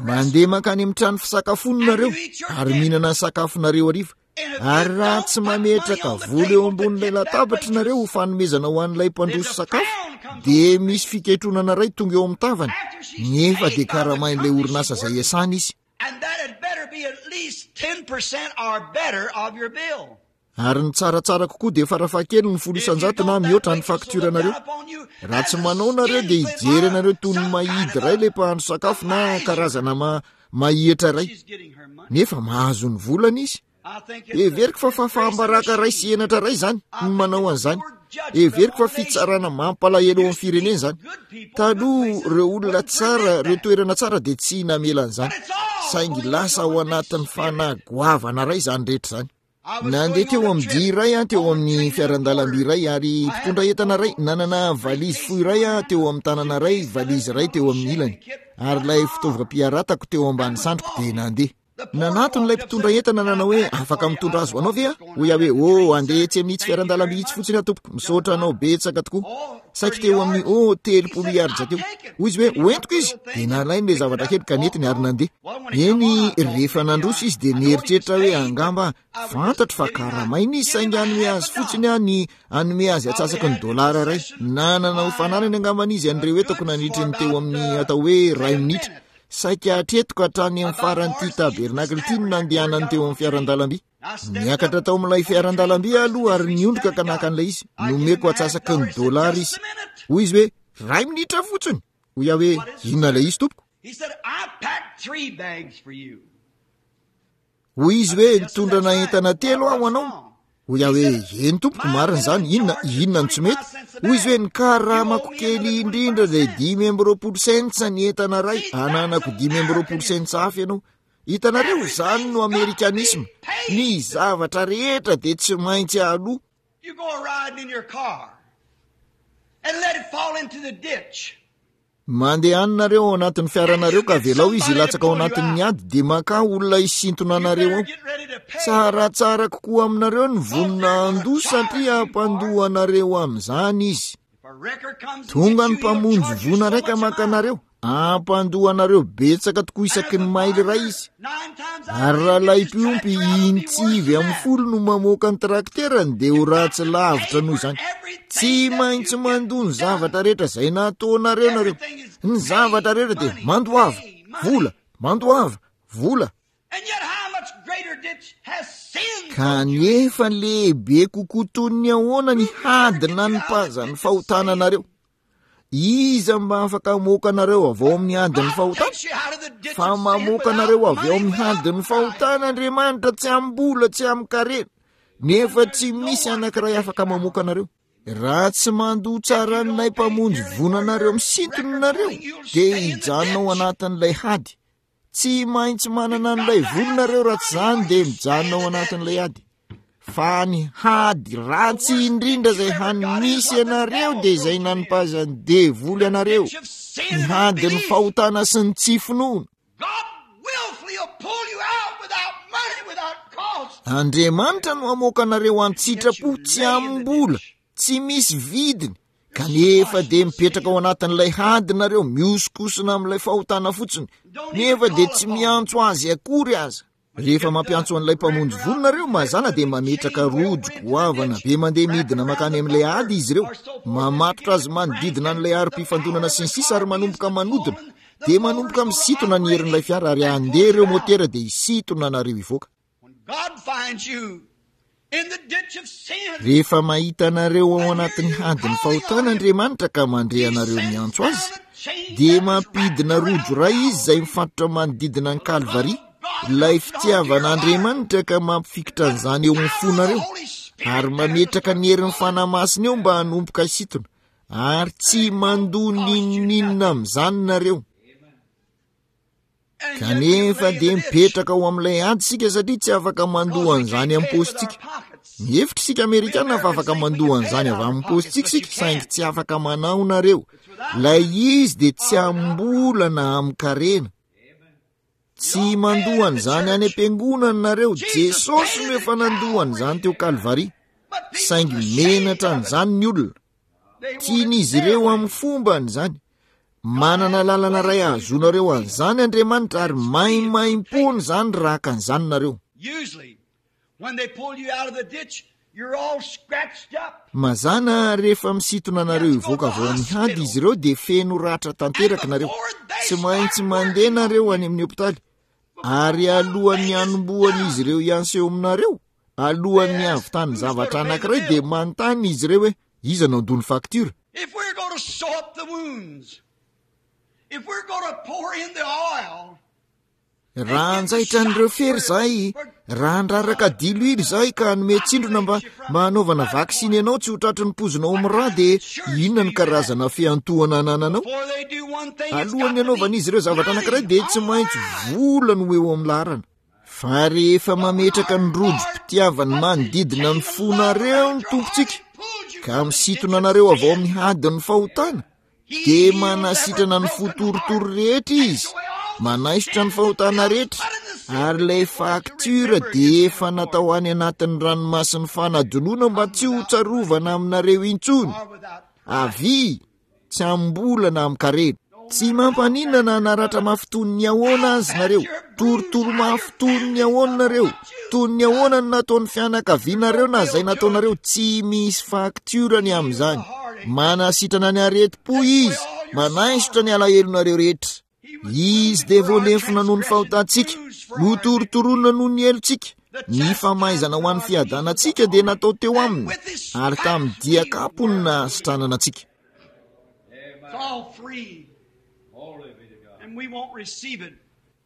Mandeha mankany amin'ny trano fisakafoana nareo ary mihinana ny sakafonareo hariva. Ary raha tsy mametraka vola eo ambonin'ilay latabatra nareo ho fanomezana ho an'ilay mpandroso sakafo, dia misy fiketronana iray tonga eo amin'ny tavany, nefa dia karamain'ilay orinasa izay iasany izy. Ary ny tsaratsara kokoa dia farafahakeliny folo isan-jato na mihoatra ny faktioranareo. Raha tsy manao nareo dia hijery anareo toy ny mahidy iray ilay mpahandro sakafo na karazana ma-, mahihitra iray. Nefa mahazo ny volany izy. Heveriko fa fahafaham-baraka iray sy henatra iray izany ny manao an'izany. Heveriko fa fitsarana mampalahelo eo amin'ny firenena izany. Taloha ireo olona tsara, ireo toerana tsara dia tsy namela an'izany. Saingy lasa ao anatin'ny fanahy goavana iray izany rehetra izany. Nandeha teo amin'ny dia iray aho, teo amin'ny fiaran-dalamby iray, ary mpitondra entana iray nanana valizy fohy iray aho teo amin'ny tanana iray, valizy iray teo amin'ny ilany, ary ilay fitaovam-piaratako teo ambany sandriko dia nandeha. Nanatona ilay mpitondra entana nanao hoe, afaka mitondra azy ho anao ve aho? Hoy aho hoe, oh, andeha etsy amin'itsy fiaran-dalamby itsy fotsiny aho tompoko, misaotra anao betsaka tokoa. Saiky teo amin'ny, oh, telopolo yards teo. Hoy izy hoe, hoentiko izy. Dia nalainy ilay zavatra kely ka nentiny ary nandeha. Eny, rehefa nandroso izy dia nieritreritra hoe angamba fantatro fa karamaina izy, saingy hanome azy fotsiny aho ny hanome azy atsasaky ny dolara iray. Nanana ho fananany angambany izy an'ireo entako nandritry ny teo amin'ny atao hoe iray minitra. Saika hatreto ka hatrany amin'ny faran'ity tabernakla ity no nandehanany teo amin'ny fiaran-dalamby. Niakatra tao amin'ilay fiaran-dalamby aho aloha ary niondrika ka naka an'ilay izy. Nomeko atsasaky ny dolara izy. Hoy izy hoe, iray minitra fotsiny. Hoy aho hoe, inona ilay izy tompoko? Hoy izy hoe, nitondra na entana telo aho anao. Hoy aho hoe, eny tompoko, marina izany, inona, inona no tsy mety? Hoy izy hoe, ny karamako kely indrindra dia dimy amby roapolo cents ny entana iray, ananako dimy amby roapolo cents hafa ianao. Hitanareo, izany no amerikanisma. Ny zavatra rehetra dia tsy maintsy aloa. You go riding in your car and let it fall into the ditch. Mandehana nareo ao anatin'ny fiaranareo ka avelao izy hilatsaka ao anatin'ny ady, dia makà olona hisintona anareo ao. Tsaratsara kokoa aminareo ny vonona handoa satria hampandoa anareo amin'izany izy. Tonga ny mpamonjy voina iray ka maka anareo, hampandoa anareo betsaka tokoa isaky ny maily iray izy. Ary raha ilay mpiompy intsivy amin'ny folo no mamoaka ny trakterany dia ho ratsy lavitra noho izany. Tsy maintsy mandoa ny zavatra rehetra izay nataonareo nareo. Ny zavatra rehetra dia mandoava vola, mandoava vola. Kanefa lehibe kokoa toy ny ahoana ny hady nanipazan'ny fahotana anareo. Iza mba afaka hamoaka anareo avy ao amin'ny hadin'ny fahotana? Fa mamoaka anareo avy ao amin'ny hadin'ny fahotana Andriamanitra, tsy amim-bola, tsy amin-karena, nefa tsy misy anankiray afaka mamoaka anareo. Raha tsy mandoa tsara an'ilay mpamonjy voina anareo misintona nareo, dia hijanona ao anatin'ilay hady. Tsy maintsy manana an'ilay vola nareo, raha tsy izany dia mijanona ao anatin'ilay ady. Fa ny hady ratsy indrindra izay hany misy anareo dia izay nanipazan'ny devoly anareo, ny hadin'ny fahotana sy ny tsy finoana. Andriamanitra no hamoaka anareo an-tsitrapo, tsy amim-bola, tsy misy vidiny, kanefa dia mipetraka ao anatin'ilay hady nareo, mihosokosona amin'ilay fahotana fotsiny, nefa dia tsy miantso azy akory aza. Rehefa mampiantso an'ilay mpamonjy vono nareo, mazàna dia mametraka rojo goavana be mandeha midina mankany amin'ilay ady izy ireo, mamatotra azy manodidina an'ilay harom-pifandonana sy ny sisa, ary manomboka manodina. Dia manomboka misintona ny herin'ilay fiara ary handeha ireo motera dia hisintona anareo hivoaka. Rehefa mahita anareo ao anatin'ny hadin'ny fahotana Andriamanitra ka mandre anareo miantso Azy, dia mampidina rojo iray Izy izay mifatotra manodidina an'i Kalvary, ilay fitiavan'Andriamanitra, ka mampifikitra an'izany eo amin'ny fonareo, ary mametraka ny herin'ny Fanahy Masina eo mba hanomboka hisintona. Ary tsy mandoa n'inon'inona amin'izany nareo. Kanefa dia mipetraka ao amin'ilay ady isika satria tsy afaka mandoa an'izany amin'ny paosintsika. Mihevitra isika Amerikana fa afaka mandoa an'izany avy amin'ny paosintsika isika, saingy tsy afaka manao nareo. Ilay izy dia tsy am-bola na amin-karena. Tsy mandoa an'izany any am-piangonana nareo. Jesosy no efa nandoa an'izany teo Kalvary. Saingy menatra an'izany ny olona. Tian'izy ireo amin'ny fombany izany. Manana lalana iray ahazoanareo an'izany Andriamanitra ary maimaimpoana izany raha haka an'izany nareo. Usually, when they pull you out of the ditch, you're all scratched up. Mazàna rehefa misintona anareo hivoaka avy ao amin'ny hady izy ireo dia feno ratra tanteraka nareo. Tsy maintsy mandeha nareo any amin'ny hopitaly. Ary alohan'ny hanombohan'izy ireo hianseho aminareo, alohan'ny hahavitany zavatra anankiray dia manontany izy ireo hoe iza no handoa ny faktiora. If we're going to sew up the wounds, if we're going to pour in the oil, Raha hanjaitra an'ireo fery izahay, raha handraraka diloilo izahay ka hanome tsindrona mba mba hanaovana vaksiny anao tsy ho tratry ny pozina ao amin'ny rà, dia inona ny karazana fiantohana anananao? before they do one thing, it's got Alohan'ny to be hanaovan'izy ireo zavatra money anankiray dia tsy on maintsy the line. vola no eo amin'ny laharana. Fa rehefa mametraka ny rojom-pitiavany manodidina ny fonareo ny Tompontsika, ka misintona anareo avy ao amin'ny hadin'ny fahotana, dia manasitrana ny fo torotoro rehetra izy, manaisotra ny fahotana rehetra, ary ilay faktiora dia efa natao any anatin'ny ranomasin'ny fanadinoana mba tsy ho tsarovana aminareo intsony. Avia, tsy am-bola na amin-karena. Tsy mampaninona na naratra mafy toy ny ahoana azy nareo, torotoro mafy toy ny ahoana nareo, toy ny ahoana no nataon'ny fianakavianareo na izay nataonareo, tsy misy faktiora ny amin'izany. Manasitrana ny aretim-po izy, manaisotra ny alahelonareo rehetra. Izy dia voalefona noho ny fahotantsika, notorotoroana noho ny helotsika. Ny famaizana ho an'ny fiadanantsika dia natao teo aminy, ary tamin'ny dian-kapony nahasitranana antsika. It's all free. And we won't receive it.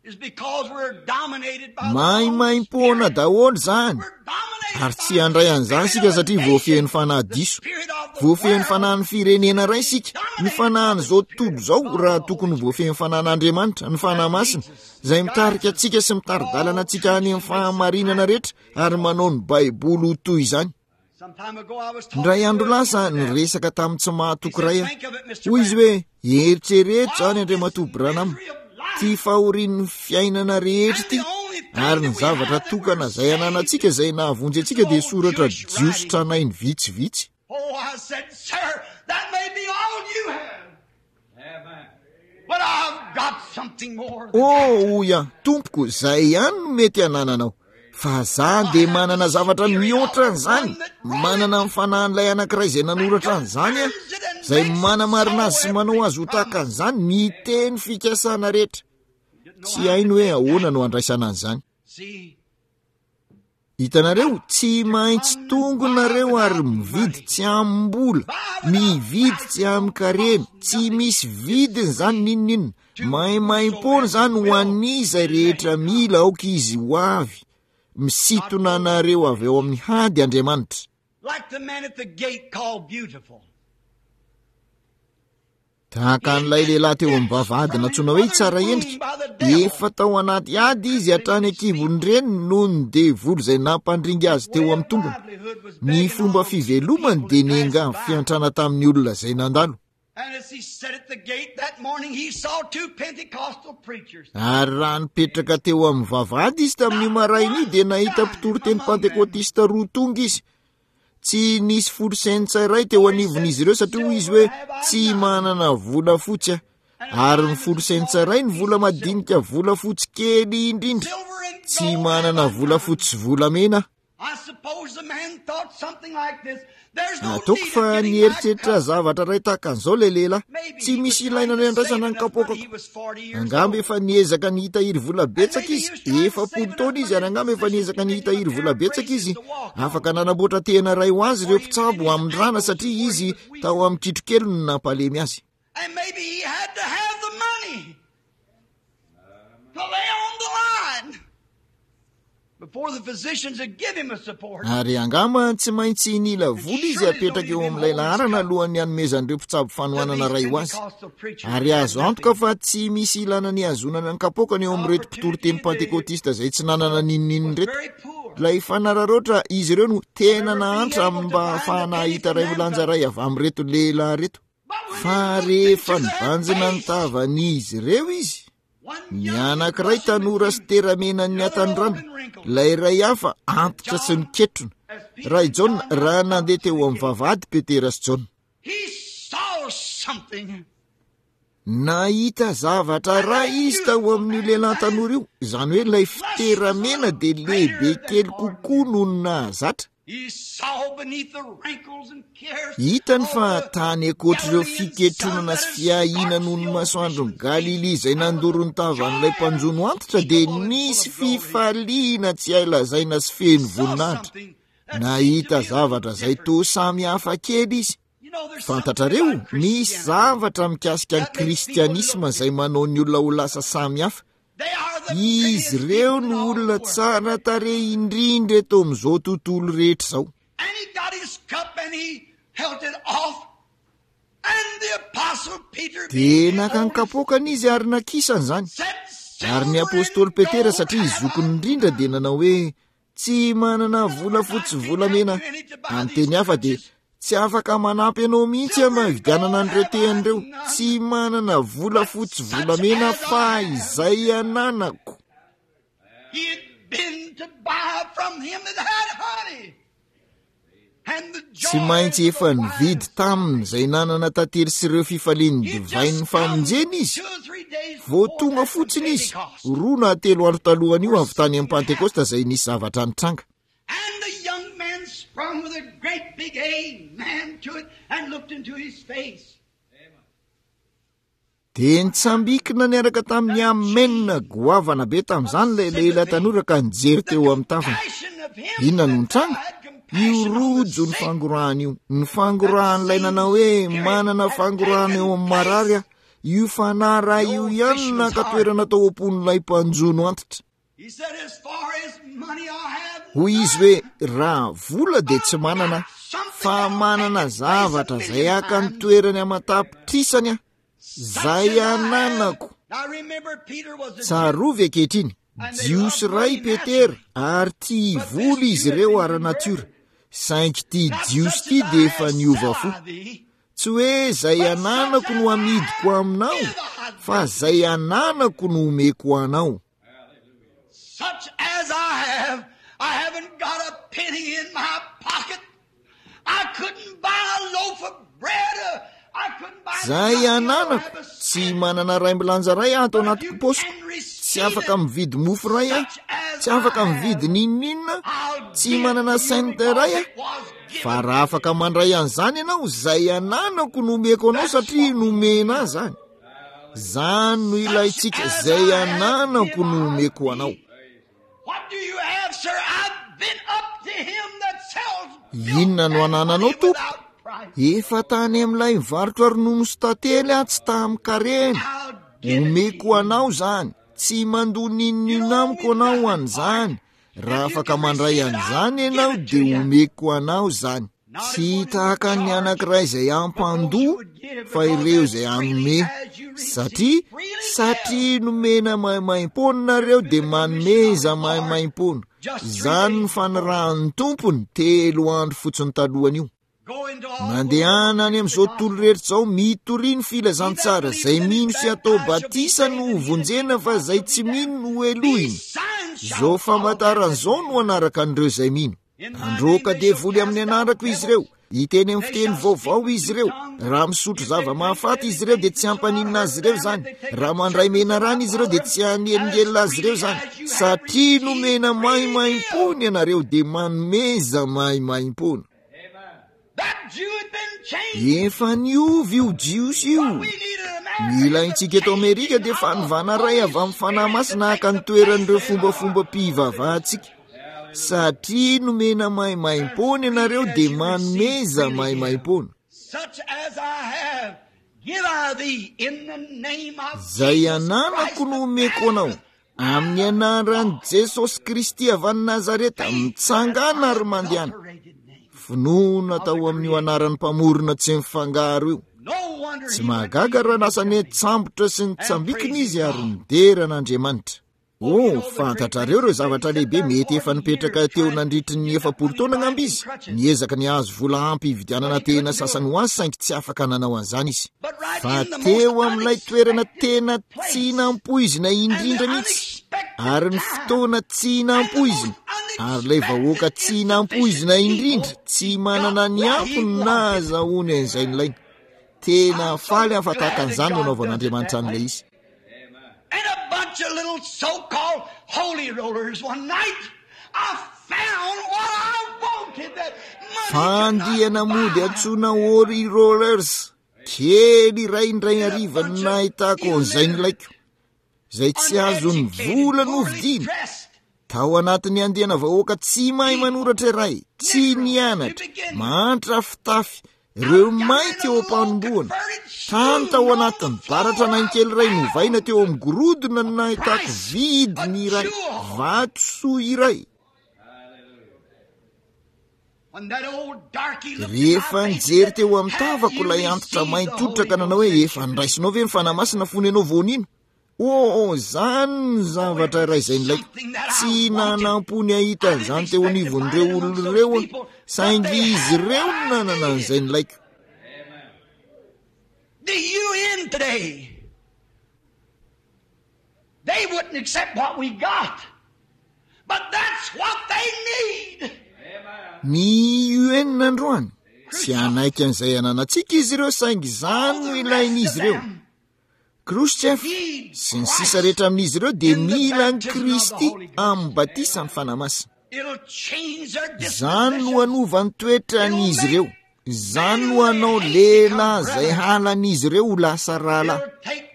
It's because we're dominated by the wrong Maimaimpoana spirit. daholo izany. We're dominated Ary by tsy the handray an'izany spirit isika of the satria nation, voafehin'ny fanahy the diso. spirit of the Voafehin'ny world. fanahin'ny firenena iray isika, ny Dominated by the fanahin'izao spirit tontolo of izao God, raha the tokony Holy voafehin'ny Spirit. fanahin'Andriamanitra, ny fanahy That masina, leads us, izay guides mitarika us antsika sy to mitari-dalana all antsika truth any amin'ny and makes us fahamarinana rehetra ary manao ny Baiboly ho toy izany. Some time ago I was Indray talking to andro an lasa infidel. niresaka tamin'ny tsy He mahatoky said, iray aho. think of it, Mister Hoy izy Branham. hoe, eritrereto izany All this Andriamatoa Branham, misery of life ty fahorian'ny fiainana rehetra and the ity, only thing ary ny that we zavatra have that we're tokana izay saved ananantsika izay nahavonjy is antsika the dia old soratra Jewish jiosy writing. tranainy vitsivitsy. Oh, I said, sir, that may be all you have. But I've got something more than that. Oh, hoy aho, tompoko, izay ihany no mety anananao. Fa za I dia have the manana zavatra spirit of mihoatra the an'izany. one that wrote Manana it, ny fanahin'ilay anankiray izay that nanoratra an'izany aho, confirms it and izay makes it manamarina so azy sy manao every azy ho tahaka promise. an'izany, miteny fikasana rehetra. Didn't know Tsy how to hainy hoe take ahoana that. no andraisana an'izany. See, Hitanareo, tsy to maintsy come and tonga buy nareo ary without mividy money, tsy amim-bola, buy without mividy price, tsy don't amin-karena, cost tsy nothing. misy It's vidiny izany free n'inon'inona. to Maimaimpoana whosoever izany ho will an'iza let rehetra him come. mila aoka izy ho avy. God Misintona knows anareo avy ao amin'ny hady Andriamanitra. Like the man at the gate called Beautiful. Tahaka He an'ilay lehilahy teo amin'ny ditched vavahady from his nantsoina hoe mother's tsara womb endrika, by the devil. efa tao anaty ady izy hatrany Crippling his feet. ankibon'ny reniny noho ny devoly izay nampandringa His azy teo way of amin'ny tongony. livelihood was Ny begging fomba alms from fivelomany people dia to pass niangavy by. fiantrana tamin'ny olona izay nandalo. And as he sat at the gate that morning, he saw two Pentecostal preachers. Ary raha nipetraka teo amin'ny vavahady izy tamin'io Not maraina io one dia nahita dime mpitory teny among them. pantekôtista roa tonga izy. Tsy nisy folo sentsa iray teo For he said, anivon'izy ireo satria hoy izy hoe Silver have I tsy none, manana vola fotsy aho. and a Ary ny dime is folo the sentsa smallest iray ny piece vola of silver. madinika volafotsy kely indrindra. Silver and Tsy gold have manana I none. volafotsy sy volamena aho. I suppose the man thought something like this. There's no Ataoko need of fa getting my nieritreritra cup. zavatra iray tahaka an'izao ilay lehilahy. Maybe Tsy he was misy trying ilaina to ny save andraisana ny enough money. kapoakako. He was forty years Angamba old. efa niezaka ny hitahiry vola And betsaka maybe he izy. was trying to Efapolo save enough taona izy money ary in angamba efa position to niezaka ny get him a hitahiry pair vola of betsaka braces izy. to walk Afaka on. nanamboatra tehina iray ho azy ireo Or he was in mpitsabo his amin'ny rana ankles satria where he izy was weaker. tao amin'ny kitrokely no nampalemy azy. And maybe he had to have the money to lay on the line. Ary angamba tsy maintsy nila vola izy apetraka eo amin'ilay laharana alohan'ny hanomezan'ireo mpitsabo fanohanana ray ho azy. Ary azo antoka fa tsy misy ilana ny hazonana ny kapoakany eo amin'ireto mpitory teny pantekôtista izay tsy nanana n'inon'inona ireto. Ilay fanararaotra izy ireo no tena nahantra amin'ny mba hahafahana hahita iray milanja iray avy amin'ireto lehilahy ireto. Fa rehefa nibanjina ny tavan'izy ireo izy, ny anankiray tanora sy teramenan'ny hatanorana, ilay iray hafa antitra sy niketrona. Raha i Jaona, raha nandeha teo amin'ny vavahady Petera sy Jaona, nahita zavatra iray izy tao amin'io lehilahy tanora io, izany hoe ilay fiteramena dia lehibe kely kokoa noho ny nahazatra. Hitany fa tany ankoatr'ireo fiketronana sy fiahiana noho ny masoandron'i Galilia izay nandoro ny tavan'ilay mpanjono antitra dia nisy fifaliana tsy hay lazaina sy feno voninahitra. Nahita zavatra izay toa samy hafa kely izy. Fantatrareo, misy zavatra mikasika ny kristianisma izay manao ny olona ho lasa samy hafa. Izy ireo no olona tsara tarehy indrindra eto amin'izao tontolo rehetra izao. Dia naka ny kapoakany izy ary nakisany izany. Ary ny apostoly Petera, satria izy zokiny indrindra, dia nanao hoe, tsy manana volafotsy volamena. Amin'ny teny hafa dia tsy afaka manampy anao mihitsy aho mba hividianana an'ireo tehany ireo. Tsy manana volafotsy volamena fa izay ananako. Tsy maintsy efa nividy taminy izay nanana tantely sy ireo fifalian'ny divain'ny famonjena izy. Vao tonga fotsiny izy, roa na telo andro talohan'io avy tany amin'ny Pantekosta izay nisy zavatra nitranga. Dia nitsambikina niaraka tamin'ny amen goavana be tamin'izany ilay lehilahy tanora ka nijery teo amin'ny tavany. Inona no nitranga? Io rojo ny fangorahana io, ny fangorahan'ilay nanao hoe manana fangorahana eo amin'ny marary aho. Io fanahy ray io ihany no naka toerana tao am-pon'ilay mpanjono antitra. Hoy izy hoe, raha vola dia tsy manana, fa manana zavatra izay haka ny toerany aman-tapitrisany aho, izay ananako. Tsarovy ankehitriny, Jiosy iray Petera, ary tia vola izy ireo ara-natiora, saingy ity Jiosy ity dia efa niova fo. Tsy hoe izay ananako no amidiko aminao, fa izay ananako no omeko anao. Such as I have, I haven't got a penny in my pocket. I couldn't buy a loaf of bread. I couldn't buy Izay ananako, tsy manana iray milanja iray aho ato anaty paosiko. Tsy afaka mividy mofo iray aho, tsy afaka mividy n'inon'inona, tsy manana cent iray aho. Fa raha afaka mandray an'izany ianao, izay ananako no omeko anao satria nomena ahy izany. Izany no ilaintsika, izay ananako no omeko anao. Inona no anananao, tompoko? Efa tany amin'ilay mivarotra ronono sy tantely aho, tsy tamin-karena. Omeko anao izany. Tsy mandoa n'inon'inona amiko ianao ho an'izany. Raha afaka mandray an'izany ianao, dia omeko anao izany. Tsy tahaka ny anankiray izay hampandoa, fa ireo izay hanome. Satria, satria nomena maimaimpoana nareo, dia manomeza maimaimpoana. Izany no fanirahan'ny Tompony telo andro fotsiny talohan'io. Mandehana any amin'izao tontolo rehetra izao, mitoria ny filazantsara. Izay mino sy atao batisa no ho vonjena, fa izay tsy mino no hohelohina. Izao famantarana izao no hanaraka an'ireo izay mino. Handroaka devoly amin'ny anarako izy ireo, hiteny amin'ny fiteny vaovao izy ireo. Raha misotro zava-mahafaty izy ireo dia tsy hampaninona azy ireo izany. Raha mandray menarana izy ireo dia tsy hanelingelina azy ireo izany. Satria nomena maimaimpoana ianareo dia manomeza maimaimpoana. Efa niova io Jiosy io. Ny ilaintsika eto Amerika dia fanovana iray avy amin'ny Fanahy Masina haka ny toeran'ireo fombafomba-pivavahantsika. Satria nomena maimaimpoana ianareo dia manomeza maimaimpoana. Izay ananako no omeko anao. Amin'ny anaran'i Jesosy Kristy avy any Nazareta, mitsangana ary mandehana. Finoana tao amin'io anaran'ny mpamorona tsy mifangaro io. Tsy mahagaga raha lasa nitsambotra sy nitsambikina izy ary nidera an'Andriamanitra. Oh, fantatrareo ireo zavatra lehibe mety efa nipetraka teo nandritry ny efapolo taona angamba izy. Niezaka ny hahazo vola ampy hividianana tehina sasany ho azy, saingy tsy afaka nanao an'izany izy. Fa teo amin'ilay toerana tena tsy nampoizina indrindra mihitsy, ary ny fotoana tsy nampoizina, ary ilay vahoaka tsy nampoizina indrindra, tsy manana ny ampy no nahazahoany an'izay nilainy. Tena faly aho fa tahaka an'izany no anaovan'Andriamanitra an'ilay izy. And a bunch of little so-called holy rollers one night, I found what I wanted that money could not Fandiana mody buy. antsoina holy rollers kely iray indray hariva no nahitako an'izay nilaiko, izay tsy azon'ny Uneducated, vola poorly novidiana. dressed, Tao anatin'ny andiana vahoaka tsy mahay manoratra iray, tsy nianatra, mahantra fitafy, ireo mainty eo am-panombohana. Tany tao anatin'ny baratra nainkely iray novaina teo amin'ny gorodona no nahitako vidiny iray, vatosoa iray. When that old darky looked at my Rehefa face and nijery said, teo amin'ny "Have tavako you ilay antitra received the mainty Holy hoditra ka nanao Ghost hoe since efa you niraisinao ve ny Fanahy Masina fony ianao vao nino? Oh, izany ny zavatra iray izay nilaiko. Tsy nanampo ny hahita an'izany teo anivon'ireo olona ireo aho, saingy izy ireo no nanana an'izay nilaiko. The U N today, they wouldn't accept what we got, but that's what they need. Ny U N androany, tsy hanaiky an'izay ananantsika izy ireo, saingy izany no ilain'izy ireo. Khrushchev sy ny sisa rehetra amin'izy ireo dia mila an'i Kristy amin'ny batisan'ny Fanahy Masina. It'll change their Izany no disposition. hanova ny toetran'izy ireo. Izany no hanao lehilahy izay halan'izy ireo ho lasa rahalahy.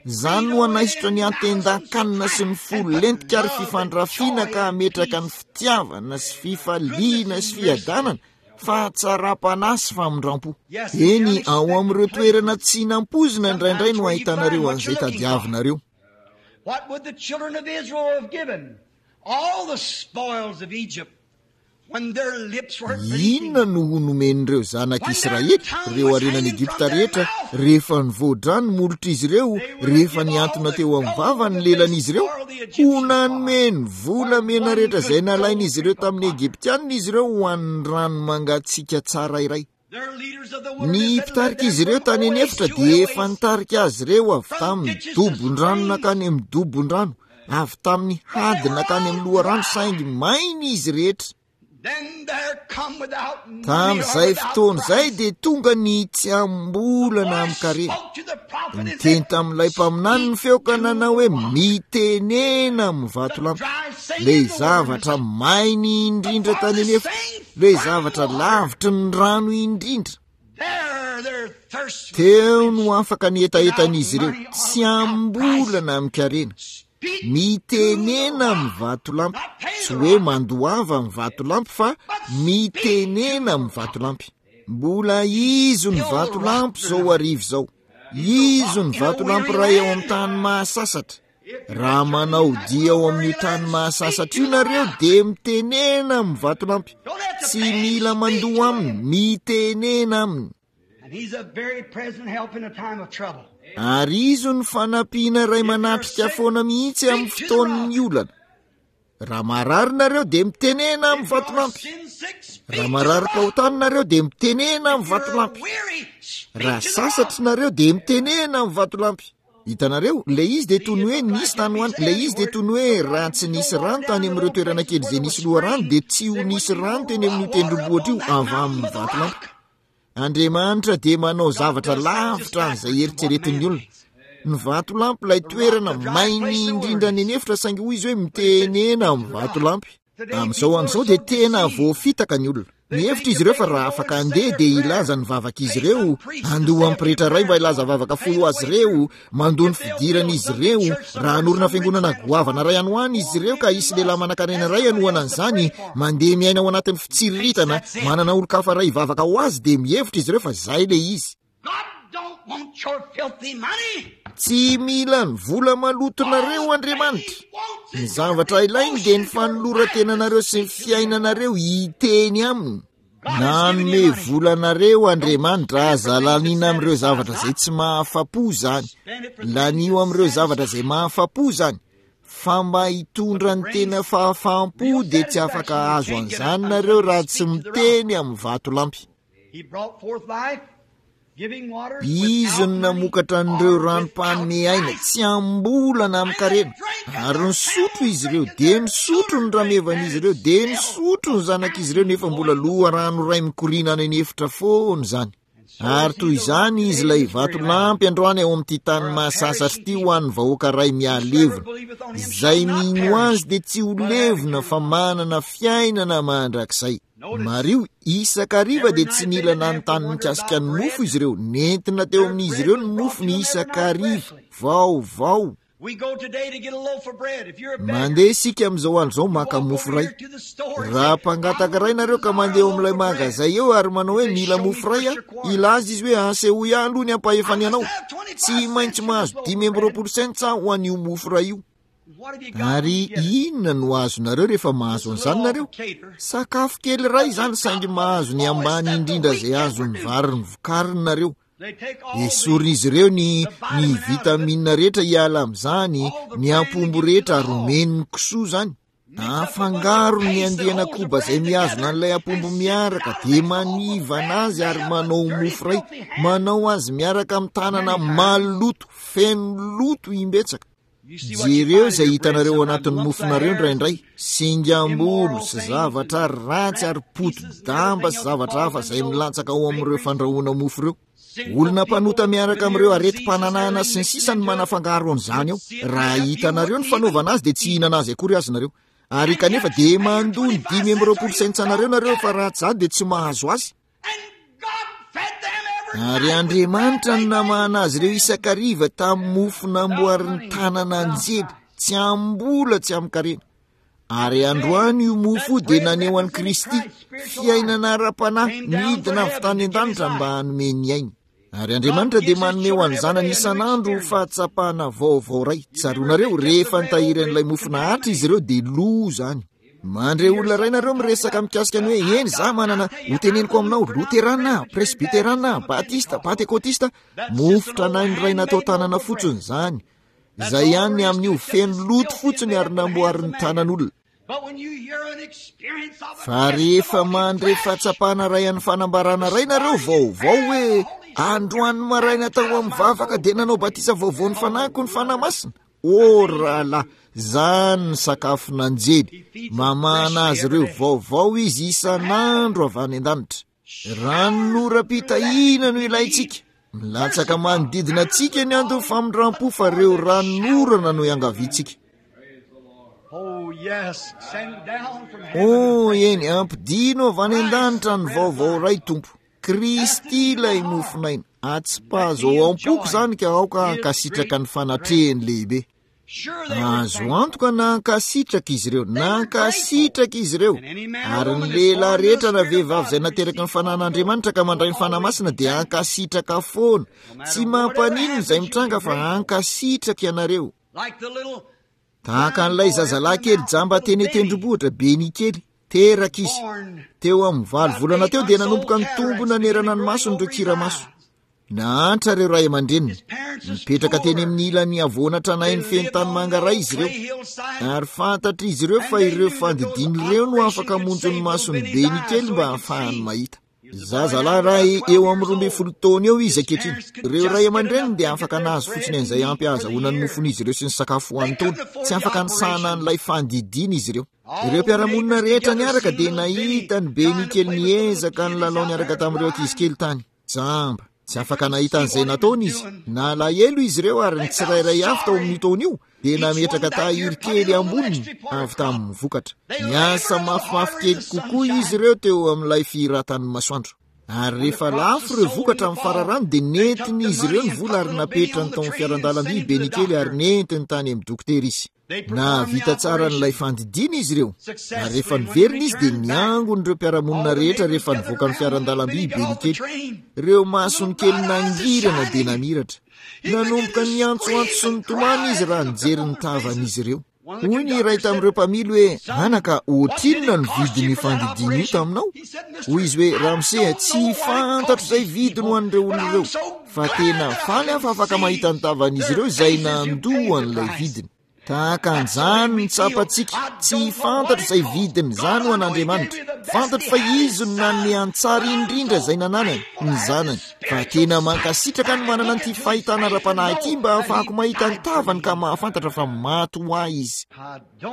Izany no hanaisotra ny antendan-kanina sy ny fo lentika ary fifandrafiana ka hametraka ny fitiavana sy fifaliana sy fiadanana, fahatsaram-panahy sy famindram-po. Eny, ao amin'ireo toerana tsy nampoizina indraindray no ahitanareo an'izay tadiavinareo. What would the children of Israel have given? All the spoils of Egypt when their lips were Inona no ho nomen'ireo zanak'Israely, ireo harenan'i Egypta rehetra, rehefa nivoadrano ny molotr'izy ireo, rehefa nihantona teo amin'ny vava ny lelan'izy ireo? Ho nanome ny volamena rehetra izay nalain'izy ireo tamin'ny Egyptianina izy ireo ho an'ny rano mangatsiaka tsara iray. Ny mpitarika izy ireo tany an'efitra dia efa nitarika azy ireo avy tamin'ny dobon-drano nankany amin'ny dobon-drano, avy tamin'ny hady nankany amin'ny loharano, saingy maina izy rehetra. Tamin'izay fotoana izay dia tonga ny tsy amim-bolana amin-karena. Niteny tamin'ilay mpaminany ny feo ka nanao hoe mitenena amin'ny vatolampy. Ilay zavatra maina indrindra tany an'efitra, ilay zavatra lavitry ny rano indrindra. Teo no afaka ny hetahetan'izy ireo, tsy amim-bolana amin-karena. Mitenena amin'ny vatolampy, tsy hoe mandoava amin'ny vatolampy fa mitenena amin'ny vatolampy. Mbola izy ny vatolampy izao hariva izao. Izy ny vatolampy iray ao amin'ny tany mahasasatra. Raha manao dia ao amin'io tany mahasasatra io nareo dia mitenena amin'ny vatolampy. Tsy mila mandoa aminy, mitenena aminy. And he's a very present help in a time of trouble. Ary izy ny fanampiana iray manatrika foana mihitsy amin'ny fotoan'ny olana. Raha marary nareo dia mitenena amin'ny vatolampy. Raha marary fahotana nareo dia mitenena amin'ny vatolampy. Raha sasatra nareo dia mitenena amin'ny vatolampy. Hitanareo, ilay izy dia toy ny hoe nisy tany ho any, ilay izy dia toy ny hoe raha tsy nisy rano tany amin'ireo toerana kely izay nisy loharano dia tsy ho nisy rano teny amin'io tendrombohitra io avy amin'ny vatolampy. Andriamanitra dia manao zavatra lavitra an'izay eritreretin'ny olona. Ny vatolampy ilay toerana maina indrindra any an'efitra, saingy hoy izy hoe mitenena amin'ny vatolampy. Amin'izao andro izao dia tena voafitaka ny olona. Mihevitra izy ireo fa raha afaka handeha dia hilaza ny vavaka izy ireo, handoa amin'ny pretra iray mba hilaza vavaka folo ho azy ireo, mandoa ny fidirana izy ireo, raha hanorina fiangonana goavana iray any ho any izy ireo ka hisy lehilahy manankarena iray hanohana an'izany, mandeha miaina ao anatin'ny fitsiriritana, manana olon-kafa iray hivavaka ho azy, dia mihevitra izy ireo fa izay ilay izy. God don't want your filthy money. Tsy mila ny vola malotonareo Andriamanitra. Ny zavatra ilainy dia ny fanoloran-tenanareo sy ny fiainanareo hiteny aminy. Nanome volanareo Andriamanitra, aza laniana amin'ireo zavatra izay tsy mahafa-po izany. Lanio amin'ireo zavatra izay mahafa-po izany. Fa mba hitondra ny tena fahafaham-po dia tsy afaka hahazo an'izany nareo raha tsy miteny amin'ny vatolampy. Izy no namokatra an'ireo ranom-panome aina tsy am-bola na amin-karena. Ary nisotro izy ireo, dia nisotro ny ramevan'izy ireo, dia nisotro ny zanak'izy ireo, nefa mbola loharano iray mikoriana any an'efitra foana izany. Ary toy izany izy ilay vatolampy androany ao amin'ity tany mahasasatra ity ho an'ny vahoaka ray mihalevona. Izay mino azy dia tsy ho levona fa manana fiainana mandrakizay. Mariho, isan-kariva dia tsy nila nanontany mikasika ny mofo izy ireo. Nentina teo amin'izy ireo ny mofo ny isan-kariva vaovao. Mandeha isika amin'izao andro izao maka mofo iray. Raha mpangataka iray nareo ka mandeha eo amin'ilay magazay eo ary manao hoe mila mofo iray aho, hilaza izy hoe asehoy ahy aloha ny ampahefany anao. Tsy maintsy mahazo dimy amby roapolo sentsa ho an'io mofo iray io. Ary inona no azonareo rehefa mahazo an'izany nareo? Sakafo kely iray izany, saingy mahazo ny ambany indrindra izay azon'ny vary ny vokariny nareo. Esorin'izy ireo ny, ny vitamina rehetra hiala amin'izany, ny ampombo rehetra ary omeny ny kisoa izany. Afangaro ny andiana koba izay mihazona an'ilay ampombo miaraka, dia manivana azy ary manao mofo iray, manao azy miaraka amin'ny tanana maloto, feno loto imbetsaka. Jereo izay hitanareo ao anatin'ny mofonareo indraindray, singam-bolo sy zavatra ratsy ary poti-damba sy zavatra hafa izay milatsaka ao amin'ireo fandrahoana mofo ireo. Olona mpanota miaraka amin'ireo aretim-pananahana sy ny sisa no manafangaro an'izany ao. Raha hitanareo ny fanaovana azy dia tsy hihinana azy akory azy nareo. Ary kanefa dia mandoa ny dimy amby roapolo sentsanareo nareo fa raha tsy izany dia tsy mahazo azy. Ary Andriamanitra no namahana azy ireo isan-kariva tamin'ny mofo namboarin'ny tanana anjely, tsy am-bola tsy amin-karena. Ary androany io mofo io dia naneho an'i Kristy, fiainana ara-panahy nidina avy tany an-danitra mba hanome ny ainy. Ary Andriamanitra dia manome ho an'ny zanany isan'andro fahatsapana vaovao iray. Tsaroanareo, rehefa nitahiry an'ilay mofo nahantra izy ireo dia lo izany. Mandre olona iray nareo miresaka mikasika ny hoe eny za manana, ho teneniko aminao, Loterana, Presbyterana, Batista, Pentekotista, mofo tranainy iray natao tanana fotsiny izany. Izay ihany ny amin'io, feno loto fotsiny ary namboarin'ny tanan'olona. Fa rehefa mandre fahatsapana iray an'ny fanambarana iray nareo vaovao hoe androany maraina tao amin'ny vavaka dia nanao batisa vaovao ny fanahiko ny Fanahy Masina, ô rahalahy, izany ny sakafon'anjely. Mamahana azy ireo vaovao izy isan'andro avy any an-danitra. Ranonoram-pitahiana no ilaintsika. Milatsaka manodidina antsika ny andon'ny famindram-po fa ireo ranonorana no iangaviantsika. Oh, eny, ampidino avy any an-danitra ny vaovao iray, Tompo. Kristy ilay mofon'aina. Atsipazo ao am-poko izany ka aoka hankasitraka ny fanatrehany lehibe. Azo antoka nankasitraka izy ireo, nankasitraka izy ireo. Ary ny lehilahy rehetra na vehivavy izay nateraky ny fanan'Andriamanitra ka mandray ny Fanahy Masina dia hankasitraka foana. Tsy mampaninona izay mitranga fa hankasitraka ianareo. Tahaka an'ilay zazalahy kely jamba teny an-tendrombohitra, Benny kely, teraka izy. Teo amin'ny valo volana teo dia nanomboka nitombo nanerana ny masony ireo kiramaso. Nahantra ireo ray aman-dreniny. Nipetraka teny amin'ny ilan'ny havoana tranainy feno tanimanga iray izy ireo. Ary fantatr'izy ireo fa ireo fandidiana ireo no afaka hamonjy ny mason'i Benny kely mba hahafahany mahita. Zazalahy iray eo amin'ny roa ambin'ny folo taona eo izy ankehitriny. Ireo ray aman-dreniny dia afaka nahazo fotsiny an'izay ampy hahazahoana ny mofon'izy ireo sy ny sakafo ho an'ny taona. Tsy afaka nisahana an'ilay fandidiana izy ireo. Ireo mpiara-monina rehetra niaraka dia nahita an'i Benny kely niezaka nilalao niaraka tamin'ireo ankizy kely tany. Jamba. Tsy afaka nahita an'izay nataony izy. Nalahelo izy ireo ary ny tsirairay avy tao amin'io taona io dia nametraka tahiry kely amboniny avy tamin'ny vokatra. Niasa mafimafy kely kokoa izy ireo teo amin'ilay fihiratan'ny masoandro. Ary rehefa lafo ireo vokatra amin'ny fararano dia nentin'izy ireo ny vola ary napetrany tao amin'ny fiaran-dalamby i Benny kely ary nentiny tany amin'ny dokotera izy. Nahavita tsara an'ilay fandidiana izy ireo, ary rehefa niverina izy dia niangona ireo mpiara-monina rehetra rehefa nivoaka ny fiaran-dalamby i Benny kely. Ireo masony kely nangirana dia namiratra. Nanomboka niantsoantso sy nitomany izy raha nijery ny tavan'izy ireo. Hoy ny iray tamin'ireo mpamily hoe, anaka, ohatrinona ny vidin'ny fandidiana io taminao? Hoy izy hoe, ramose, tsy fantatro izay vidiny ho an'ireo olona ireo, fa tena faly aho fa afaka mahita ny tavan'izy ireo izay nandoa an'ilay vidiny. Tahaka an'izany ny tsapantsika, tsy fantatro izay vidiny izany ho an'Andriamanitra. Fantatro fa izy no nanome antsara indrindra izay nananany, ny zanany. Fa tena mankasitraka ny manana an'ity fahitana ara-panahy ity mba ahafahako mahita ny tavany ka mahafantatra fa maty ho ahy izy.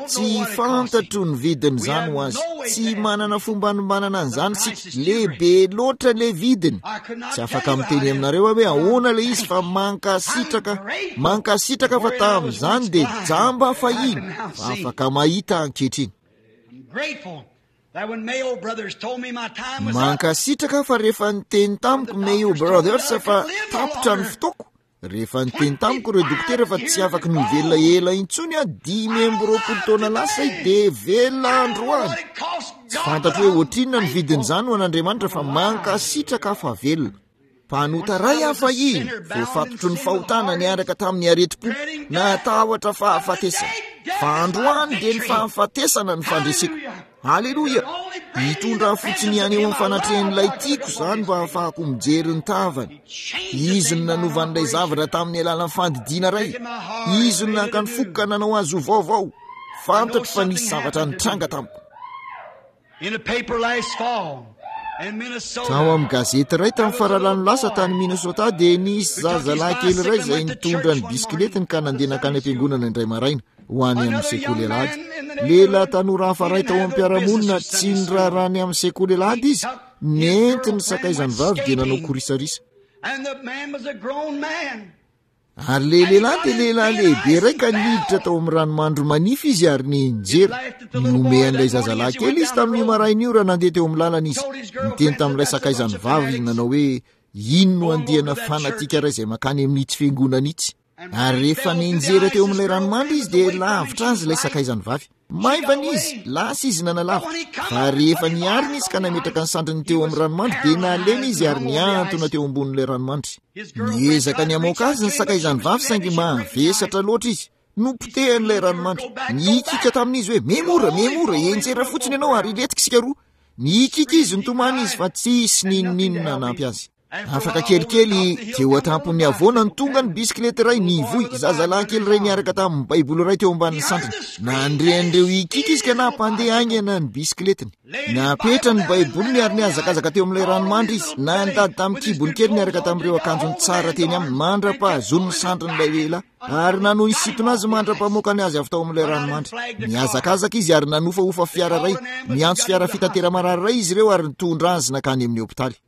Tsy fantatro ny vidin'izany ho azy. Tsy manana fomba anombanana an'izany isika. Lehibe loatra ilay vidiny. Tsy afaka miteny aminareo aho hoe ahoana ilay izy fa mankasitraka. Mankasitraka fa tamin'izany dia jamba fahiny fa afaka mahita ankehitriny. Mankasitraka fa rehefa niteny tamiko Mayo Brothers fa tapitra ny fotoako, rehefa niteny tamiko ireo dokotera fa tsy afaka ny ho velona ela intsony aho, dimy amby roapolo taona lasa aho dia velona androany. Tsy fantatro hoe ohatrinona ny vidin'izany ho an'Andriamanitra fa mankasitraka fa velona. Mpanota iray aho fahiny, voafatotry ny fahotana niaraka tamin'ny aretim-po, natahotra fahafatesana. Fa androany dia ny fahafatesana ny fandreseko. Aleloia! Hitondra fotsiny ihany eo amin'ny fanatrehan'ilay tiako izany mba hahafahako mijery ny tavany. Izy no nanova an'ilay zavatra tamin'ny alalan'ny fandidiana iray. Izy no naka ny foko ka nanao azy ho vaovao. Fantatro fa nisy zavatra nitranga tamiko. Tao amin'ny gazety iray tamin'ny faralano lasa tany Minnesota dia nisy zazalahy kely iray izay nitondra ny bisikiletiny ka nandeha nankany am-piangonana indray maraina ho any amin'ny sekoly alahady. Lehilahy tanora hafa iray tao amin'ny mpiara-monina tsy niraharaha ny amin'ny sekoly alahady izy, nentiny sakaizany vavy dia nanao korisarisa. Ary ilay lehilahy dia lehilahy lehibe iray ka niditra tao amin'ny ranomandry manify izy ary nianjera. Nihomehan'ilay zazalahy kely izy tamin'io maraina io raha nandeha teo amin'ny lalana izy. Niteny tamin'ilay sakaizany vavy nanao hoe, ino no andiana fanatika iray izay mankany amin'itsy fiangonana itsy? Ary rehefa nianjera teo amin'ilay ranomandry izy dia lavitra azy ilay sakaizany vavy. Maivana izy, lasa izy nanalavitra. Fa rehefa niarina izy ka nametraka ny sandriny teo amin'ny ranomandry dia nalemy izy ary nihantona teo ambonin'ilay ranomandry. Niezaka ny hamoaka azy ny sakaizany vavy saingy mavesatra loatra izy. Nopotehan'ilay ranomandry. Nihikika tamin'izy hoe, memora, memora, enjera fotsiny ianao ary hilentika isika roa. Nihikika izy, nitomany izy fa tsisy n'inon'inona hanampy azy. Afaka kelikely, teo an-tampon'ny havoana no tonga ny bisikileta iray nivoy, zazalahy kely iray niaraka tamin'ny Baiboly iray teo ambanin'ny sandriny. Nandre an'ireo hikiky izy ka nampandeha haingana ny bisikiletiny. Napetra ny Baiboliny ary nihazakazaka teo amin'ilay ranomandry izy. Nandady tamin'ny kibony kely niaraka tamin'ireo akanjony tsara teny aminy mandra-pahazoany ny sandrin'ilay lehilahy, ary nanohy nisintona azy mandra-pamoakany azy avy tao amin'ilay ranomandry. Nihazakazaka izy ary nanofahofa fiara iray. Niantso fiara fitatera-marary iray izy ireo ary nitondra azy nankany amin'ny hopitaly.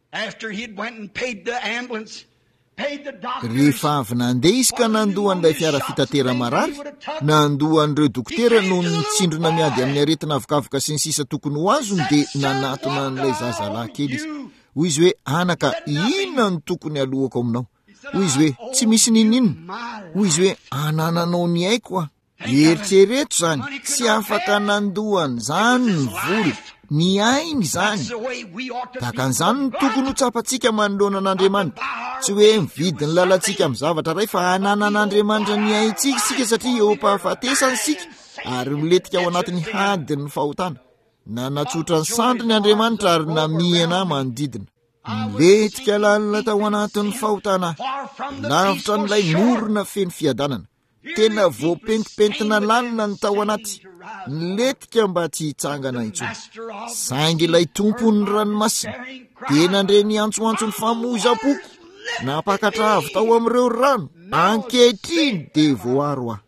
Rehefa avy nandeha izy ka nandoa an'ilay fiara fitatera-marary, nandoa an'ireo dokotera noho ny tsindrona miady amin'ny aretina avokavoka sy ny sisa tokony ho azony, dia nanatona an'ilay zazalahy kely izy. Hoy izy hoe, anaka, inona no tokony halohako aminao? Hoy izy hoe, tsy misy n'inon'inona. Hoy izy hoe, anananao ny aiko aho. Eritrereto izany, tsy afaka nandoa an'izany ny vola, ny ainy izany. Tahaka an'izany no tokony ho tsapantsika manoloana an'Andriamanitra. Tsy hoe mividy ny lalantsika amin'ny zavatra iray fa ananan'Andriamanitra ny aintsika isika satria eo am-pahafatesana isika ary milentika ao anatin'ny hadin'ny fahotana. Nanatsotra ny sandriny Andriamanitra ary namihana manodidina. Nilentika lalina tao anatin'ny fahotana, lavitra an'ilay morona feno fiadanana. Tena voapentipentina lalina ny tao anaty, nilentika mba tsy hitsangana intsony. Saingy ilay Tompon'ny ranomasina dia nandre ny antsoantson'ny famoizam-poko, nampakatra avy tao amin'ireo rano. Ankehitriny dia voaro aho.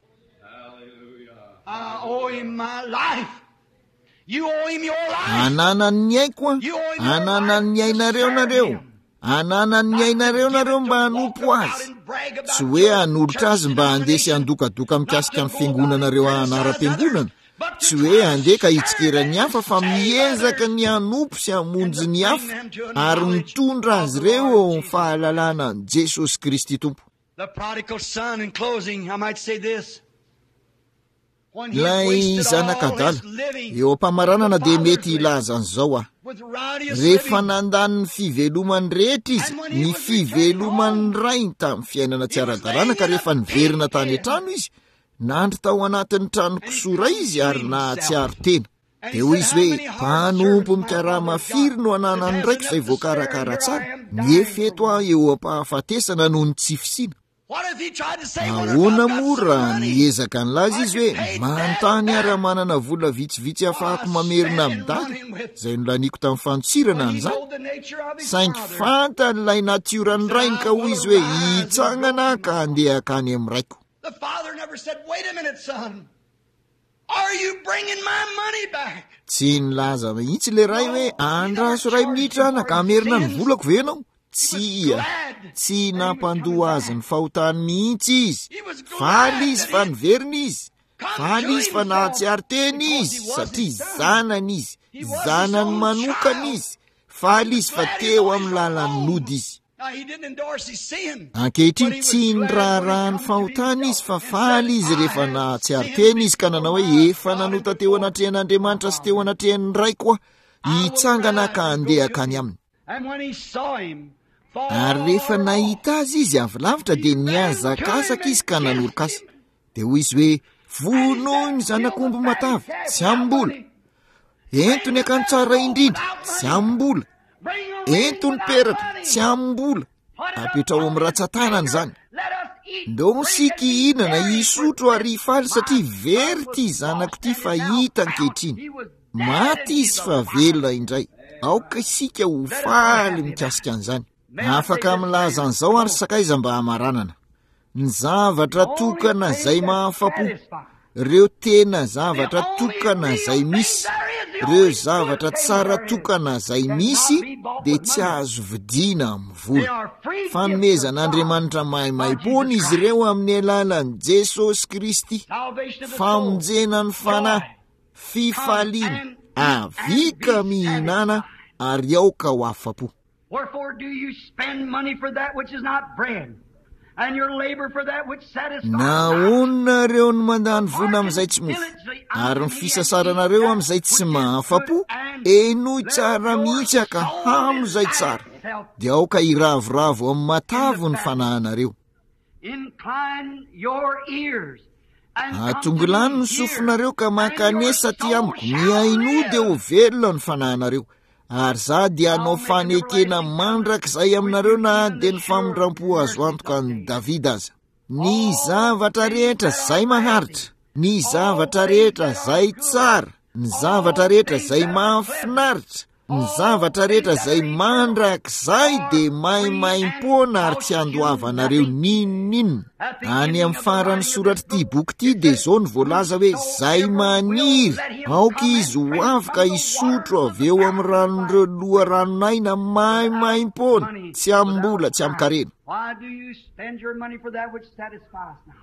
Ananan'ny aiko aho, ananan'ny ainareo nareo, ananan'ny ainareo nareo mba hanompo azy. Tsy hoe hanolotra azy mba handeha sy handokadoka mikasika ny fiangonanareo anaram-piangonana, tsy hoe handeha ka hitsikera ny hafa fa miezaka ny hanompo sy hamonjy ny hafa ary mitondra azy ireo eo amin'ny fahalalana an'i Jesosy Kristy Tompo. The prodigal son, in closing, I might say this. Ilay zanak'adala. Eo am-pamaranana dia mety hilaza an'izao aho. Rehefa nandany ny fivelomany rehetra izy, ny fiveloman'ny rainy tamin'ny fiainana tsy ara-dalàna, ka rehefa niverina tany an-trano izy, nandry tao anatin'ny trano kisoa iray izy ary nahatsiaro tena. Dia hoy izy hoe, mpanompo mikarama firy no ananan'ny raiko izay voakarakara tsara, nefa eto aho eo am-pahafatesana noho ny tsy fisiana. Ahoana moa raha niezaka nilaza izy hoe, manontany aho raha manana vola vitsivitsy ahafahako mamerina amin'ny dada, izay nolaniko tamin'ny fandosirana an'izany. Saingy fantan'ilay natioran'ny rainy ka hoy izy hoe, hitsangana aho ka handeha hankany amin'ny raiko. The father never said, wait a minute, son. Are you bringing my money back? Tsy nilaza mihitsy ilay ray hoe, andraso iray minitra anaka, hamerina ny volako ve ianao? Tsia, tsy nampandoa azy ny fahotany mihitsy izy. Faly izy fa niverina izy. Faly izy fa nahatsiaro tena izy, satria zanany izy, zanany manokana izy. Faly izy fa teo amin'ny lalan'ny nody izy. Ankehitriny tsy niraharaha ny fahotany izy fa faly izy rehefa nahatsiaro tena izy ka nanao hoe, efa nanota teo anatrehan'Andriamanitra sy teo anatrehan'ny raiko aho, hitsangana ka handeha hankany aminy. Ary rehefa nahita azy izy avy lavitra dia nihazakazaka izy ka nanoroka azy. Dia hoy izy hoe, vonoy ny zanak'omby matavy, tsy amim-bola. Ento ny akanjo tsara indrindra, tsy amim-bola. Ento ny peratra, tsy amim-bola. Apetraho amin'ny ratsan-tanana izany. Ndao isika hihinana, hisotro ary hifaly satria very ity zanako ity fa hita ankehitriny. Maty izy fa velona indray. Aoka isika ho faly mikasika an'izany. Afaka milaza an'izao ary sakaiza mba hamaranana. Ny zavatra tokana izay mahafa-po, ireo tena zavatra tokana izay misy, ireo zavatra tsara tokana izay misy dia tsy azo vidiana amin'ny vola. Fanomezan'Andriamanitra maimaimpoana izy ireo amin'ny alalan'i Jesosy Kristy. Famonjena ny fanahy, fifaliana, avika mihinana ary aoka ho afa-po. Wherefore do you spend money for that which is not bread, and your labor for that which satisfies not? Nahoana nareo no mandany vola amin'izay tsy mofo, ary ny fisasaranareo amin'izay tsy mahafa-po? Henoy tsara mihitsy aka hamo izay tsara, dia aoka hiravoravo amin'ny matavy ny fanahinareo. Incline your ears and come to Atongilano me ny here, sofinareo ka and your mankanesa aty soul amiko. shall Mihainoa dia live. ho velona ny fanahinareo. Ary za dia hanao I'll make an fanekena everlasting covenant mandrakizay with aminareo you, na even dia the ny sure famindram-po azo mercies antoka of an'i David. Davida aza. Ny All zavatra things rehetra that izay are maharitra, lasting, ny all zavatra things rehetra that are izay good, tsara, ny zavatra all rehetra things izay that are pleasant, mahafinaritra, ny all zavatra things rehetra that izay are eternal mandrakizay are dia free and maimaimpoana ary cost tsy you andoavanareo nothing. n'inon'inona. At the Any ending amin'ny of the faran'ny writing of this soratr'ity book, boky ity it dia says, izao no voalaza hoe, izay Whosoever will, maniry, let him aoka come and izy ho drink avy ka from the hisotro waters of avy eo the amin'ny fountain of ranon'ireo life loharanon'aina without maimaimpoana, money, tsy amim-bola, without tsy price. amin-karena. Why do you spend your money for that which satisfies not?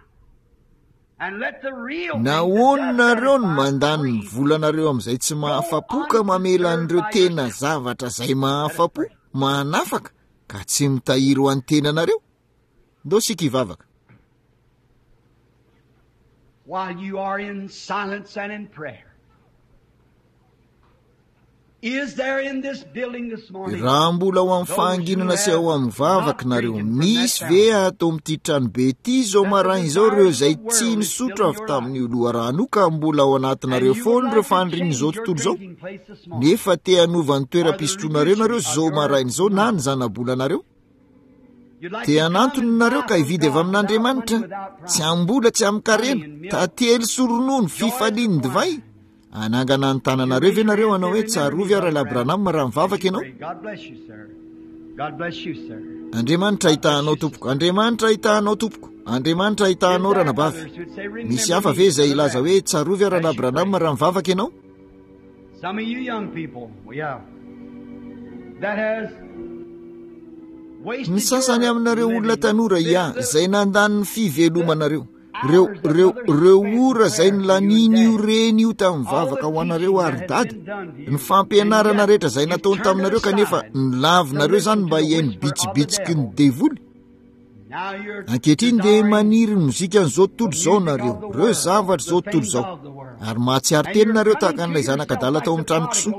And let the real thing that does Nahoana nareo no satisfy mandany ny free volanareo amin'izay tsy go mahafa-po ka mamela an'ireo undisturbed by tena yourself? zavatra izay Let us mahafa-po, pray. manafaka, ka tsy mitahiry ho an'ny tenanareo? Ndao isika hivavaka. While you are in silence and in prayer, is there in this building this morning Raha mbola ao amin'ny those who fahanginana sy have ao amin'ny not vavaka nareo, drinking from that misy ve fountain, ato amin'ity tranobe ity izao that the maraina izao ireo desires of izay the tsy world is nisotro filling avy your life, tamin'io loharano io ka mbola ao and anatinareo you would foana ireo like to change fanirian'izao your tontolo izao? drinking place this morning, Nefa te hanova ny or the toeram-pisotroanareo nareo reducing of izao your maraina izao na ny money? zanabolanareo? You'd like Te to come hanantona and nareo buy ka from hividy avy God without money, amin'Andriamanitra, without tsy price, amim-bola, tsy honey amin-karena, and milk, tantely sy ronono, joyous fifalian'ny divay. wine. Hanangana ny Would you tananareo raise ve your nareo hand hanao and say, hoe Remember me, tsarovy aho Brother Rahalahy Branham, Branham raha as mivavaka you ianao? pray? God bless you, sir. God bless you, sir. Andriamanitra God bless hitahanao you, tompoko, sister. Andriamanitra hitahanao tompoko, Andriamanitra Is hitahanao there ranabavy. others who'd say, Misy Remember hafa me, ve izay Brother hilaza Branham, hoe tsarovy aho as Rahalahy you Branham pray? raha mivavaka ianao? Some of you young people, yeah, that has Ny wasted sasany your aminareo olona living, tanora the, ia the, izay nandany ny the fivelomanareo, ireo hours that ireo mother ireo spent in ora izay prayer for you and nolaniny io dad, reny io tamin'ny all vavaka the ho anareo teaching that ary has dada, been done to ny you, and fampianarana yet rehetra izay you've nataony turned it taminareo kanefa aside ny to lavinareo izany listen mba to the hihaino whisper of the bitsibitsiky ny devil. devoly. Ankehitriny dia maniry ny mozikan'izao tontolo izao nareo, ireo zavatra izao tontolo izao. Ary mahatsiaro tena nareo tahaka an'ilay zanak'adala tao amin'ny trano kisoa.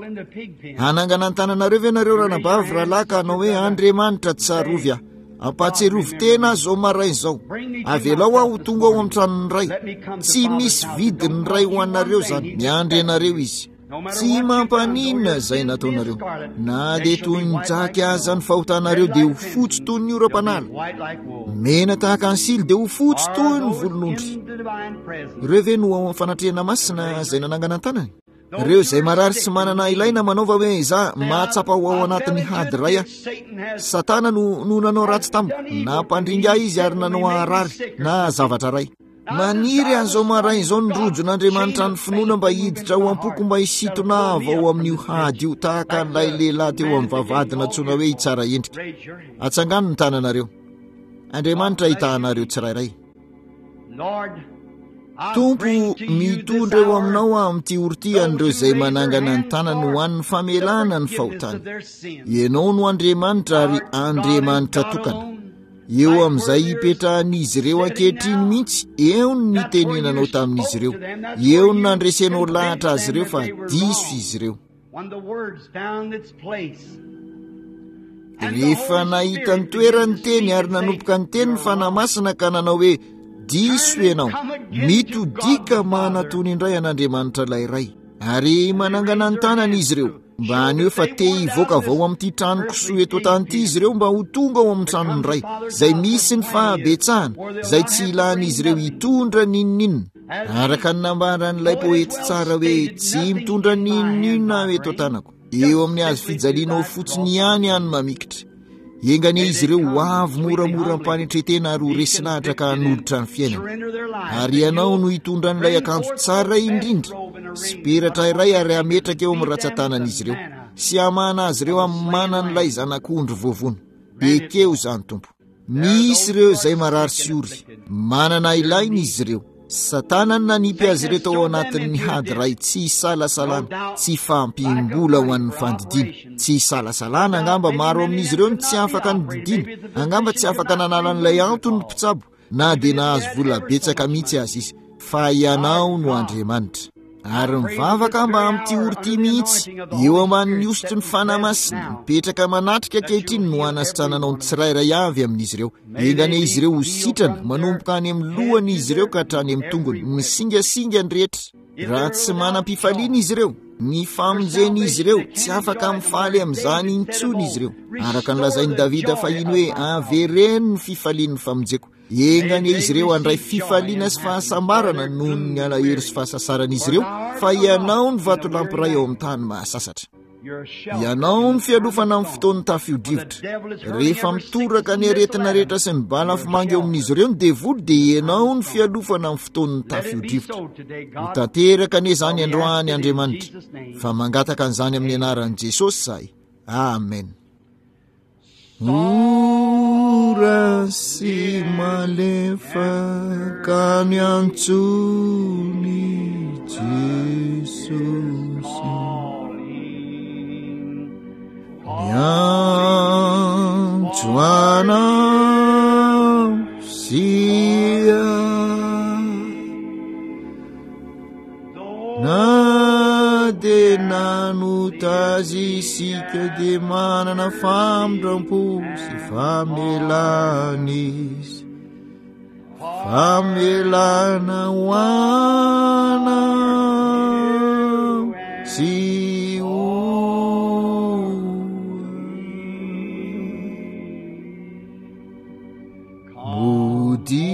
Hanangana ny tananareo ve nareo ranabavy rahalahy ka hanao hoe Andriamanitra tsarovy aho. Ampahatsiarovy tena aho izao maraina izao. Avelao aho ho tonga ao amin'ny tranon'ny Ray. Tsy misy vidiny Ray ho anareo izany. Miandry anareo izy. Tsy mampaninona izay nataonareo. Na dia toy ny jaky aza ny fahotanareo dia ho fotsy toy ny oram-panala. Mena tahaka ny sily dia ho fotsy toy ny volon'ondry. Ireo ve no ao amin'ny fanatrehana masina izay nanangana ny tanany? Ireo izay marary sy manana ilaina manaova hoe izaho mahatsapa ho ao anatin'ny hady iray aho. Satana no, no nanao ratsy tamiko, nampandringa ahy izy ary nanao aharary na zavatra iray. Maniry an'izao maraina izao ny rojon'Andriamanitra ny finoana mba hiditra ao am-poko mba hisintona avy ao amin'io hady io tahaka an'ilay lehilahy teo amin'ny vavahady nantsoina hoe hitsara endrika. Atsangano ny tananareo. Andriamanitra hitahanareo tsirairay. Tompo, mitondra eo aminao aho amin'ity ora ity an'ireo izay manangana ny tanany ho an'ny famelana ny fahotany. Ianao no Andriamanitra ary Andriamanitra tokana. Eo amin'izay hipetrahan'izy ireo ankehitriny mihitsy, eo no nitenenanao tamin'izy ireo, eo no nandresenao lahatra azy ireo fa diso izy ireo. Rehefa nahita ny toerany ny teny ary nanomboka ny teny ny Fanahy Masina ka nanao hoe diso ianao, mitodika manatony indray an'Andriamanitra ilay Ray. Ary manangana ny tanany izy ireo mba haneho fa te hivoaka avy ao amin'ity trano kisoa eto an-tany ity izy ireo mba ho tonga ao amin'ny tranon'ny Ray, izay misy ny fahabetsahana, izay tsy ilan'izy ireo hitondra n'inon'inona. Araka ny nambaran'ilay poety tsara hoe tsy mitondra n'inon'inona aho eto an-tanako, eo amin'ny hazo fijalianao fotsiny ihany aho no mamikitra. Enga anie izy ireo ho avy moramora am-panetren-tena ary ho resy lahatra ka hanolotra ny fiainany. Ary ianao no hitondra an'ilay akanjo tsara indrindra sy peratra iray ary hametraka eo amin'ny ratsan-tanan'izy ireo sy hamahana azy ireo amin'ny manan'ilay zanak'ondry voavono. Ekeo izany, Tompo. Misy ireo izay marary sy ory, manana ilaina izy ireo. Satana no nanipy azy ireo tao anatin'ny hady iray tsy isalasalana, tsy fahampiam-bola ho an'ny fandidiana. Tsy isalasalana angamba maro amin'izy ireo no tsy afaka nodidiana, angamba tsy afaka nanala an'ilay antony ny mpitsabo na dia nahazo vola betsaka mihitsy aza izy. Fa ianao no Andriamanitra. Ary mivavaka mba amin'ity ora ity mihitsy, eo ambanin'ny hosotry ny Fanahy Masina, mipetraka manatrika ankehitriny no hanasitrananao ny tsirairay avy amin'izy ireo. Enga anie izy ireo ho sitrana, manomboka any amin'ny lohany izy ireo ka hatrany amin'ny tongony, ny singasingany rehetra. Raha tsy manam-pifaliana izy ireo, ny famonjen'izy ireo, tsy afaka mifaly amin'izany intsony izy ireo. Araka ny lazain'i Davida fahiny hoe, avereno ny fifalian'ny famonjeko. Enga anie izy ireo handray fifaliana sy fahasambarana noho ny alahelo sy fahasasaran'izy ireo, fa ianao ny vatolampy iray ao amin'ny tany mahasasatra. Ianao ny fialofana amin'ny fotoan'ny tafio-drivotra. Rehefa mitoraka ny aretina rehetra sy ny balafomanga eo amin'izy ireo ny devoly, dia ianao ny fialofana amin'ny fotoan'ny tafio-drivotra. Ho tanteraka anie izany androany, Andriamanitra, fa mangataka an'izany amin'ny anaran'i Jesosy izahay. Amen. Mora sy malefaka miantsony Jesosy. Miantso anao sy ahy. Na dia nanota azy isika dia manana famindram-po sy famelana izy. Famelana ho anao sy ho Mody.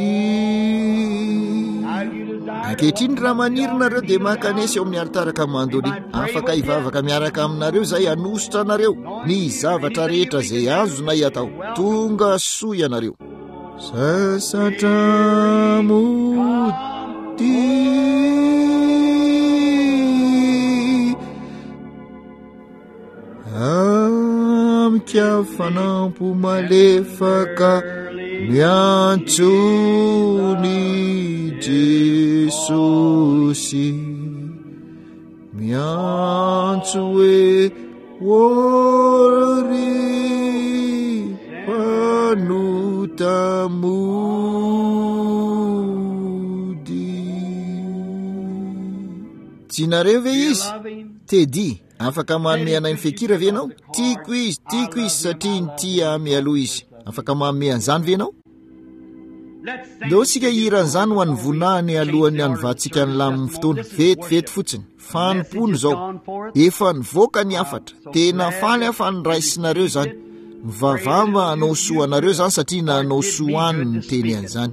Ankehitriny raha maniry nareo dia mankanesa eo amin'ny alitara ka mandolia. Afaka hivavaka miaraka aminareo izay hanositra anareo ny zavatra rehetra izay azonay atao. Tonga soa ianareo. Sasatra mody. Amika fanampo malefaka miantso ny Jesosy, miantso hoe ory mpanota Tianareo ve izy? Teddy, afaka manome anay ny fikira ve ianao? Tiako izy, tiako izy satria nitia ahy mialoha izy. Afaka manome an'izany ve ianao? Ndao isika hihira an'izany ho an'ny voninahiny alohan'ny hanovantsika ny lamin'ny fotoana. Vetivety fotsiny. Fanompoana izao. Efa nivoaka ny hafatra. Tena faly aho fa niraisinareo izany. Mivavaha mba hanao soa anareo izany satria nanao soa any ny teny an'izany.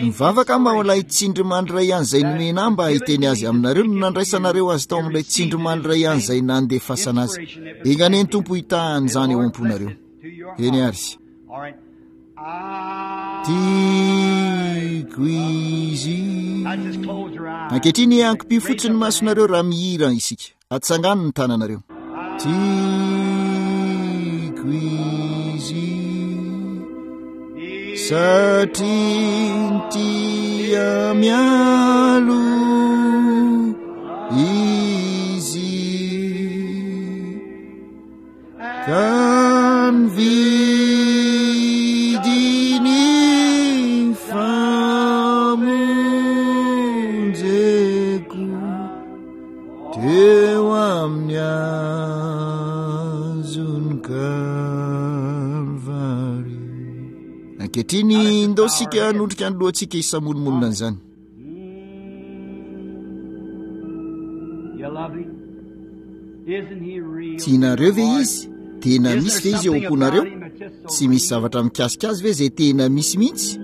Mivavaka mba ho ilay tsindrimandry iray ihany izay nomena ahy mba hiteny azy aminareo no nandraisanareo azy tao amin'ilay tsindrimandry iray ihany izay nandefasana azy. Enga anie ny Tompo hitahan'izany ao am-ponareo. Eny ary. Tiako izy. Ankehitriny ankipio fotsiny ny masonareo raha mihira isika. Atsangano ny tananareo. Tiako izy satria nitia mialoha izy ka nividy ny famonjeko teo amin'ny hazon'ny Kalvary. Ankehitriny ndao isika hanondrika ny lohantsika hisamonomonona an'izany. You love him? Isn't he real? Tianareo ve izy? Tena Isn't misy there ve izy eo something am-ponareo? about him that's just so Tsy misy real? zavatra mikasika azy ve izay tena misy mihitsy? I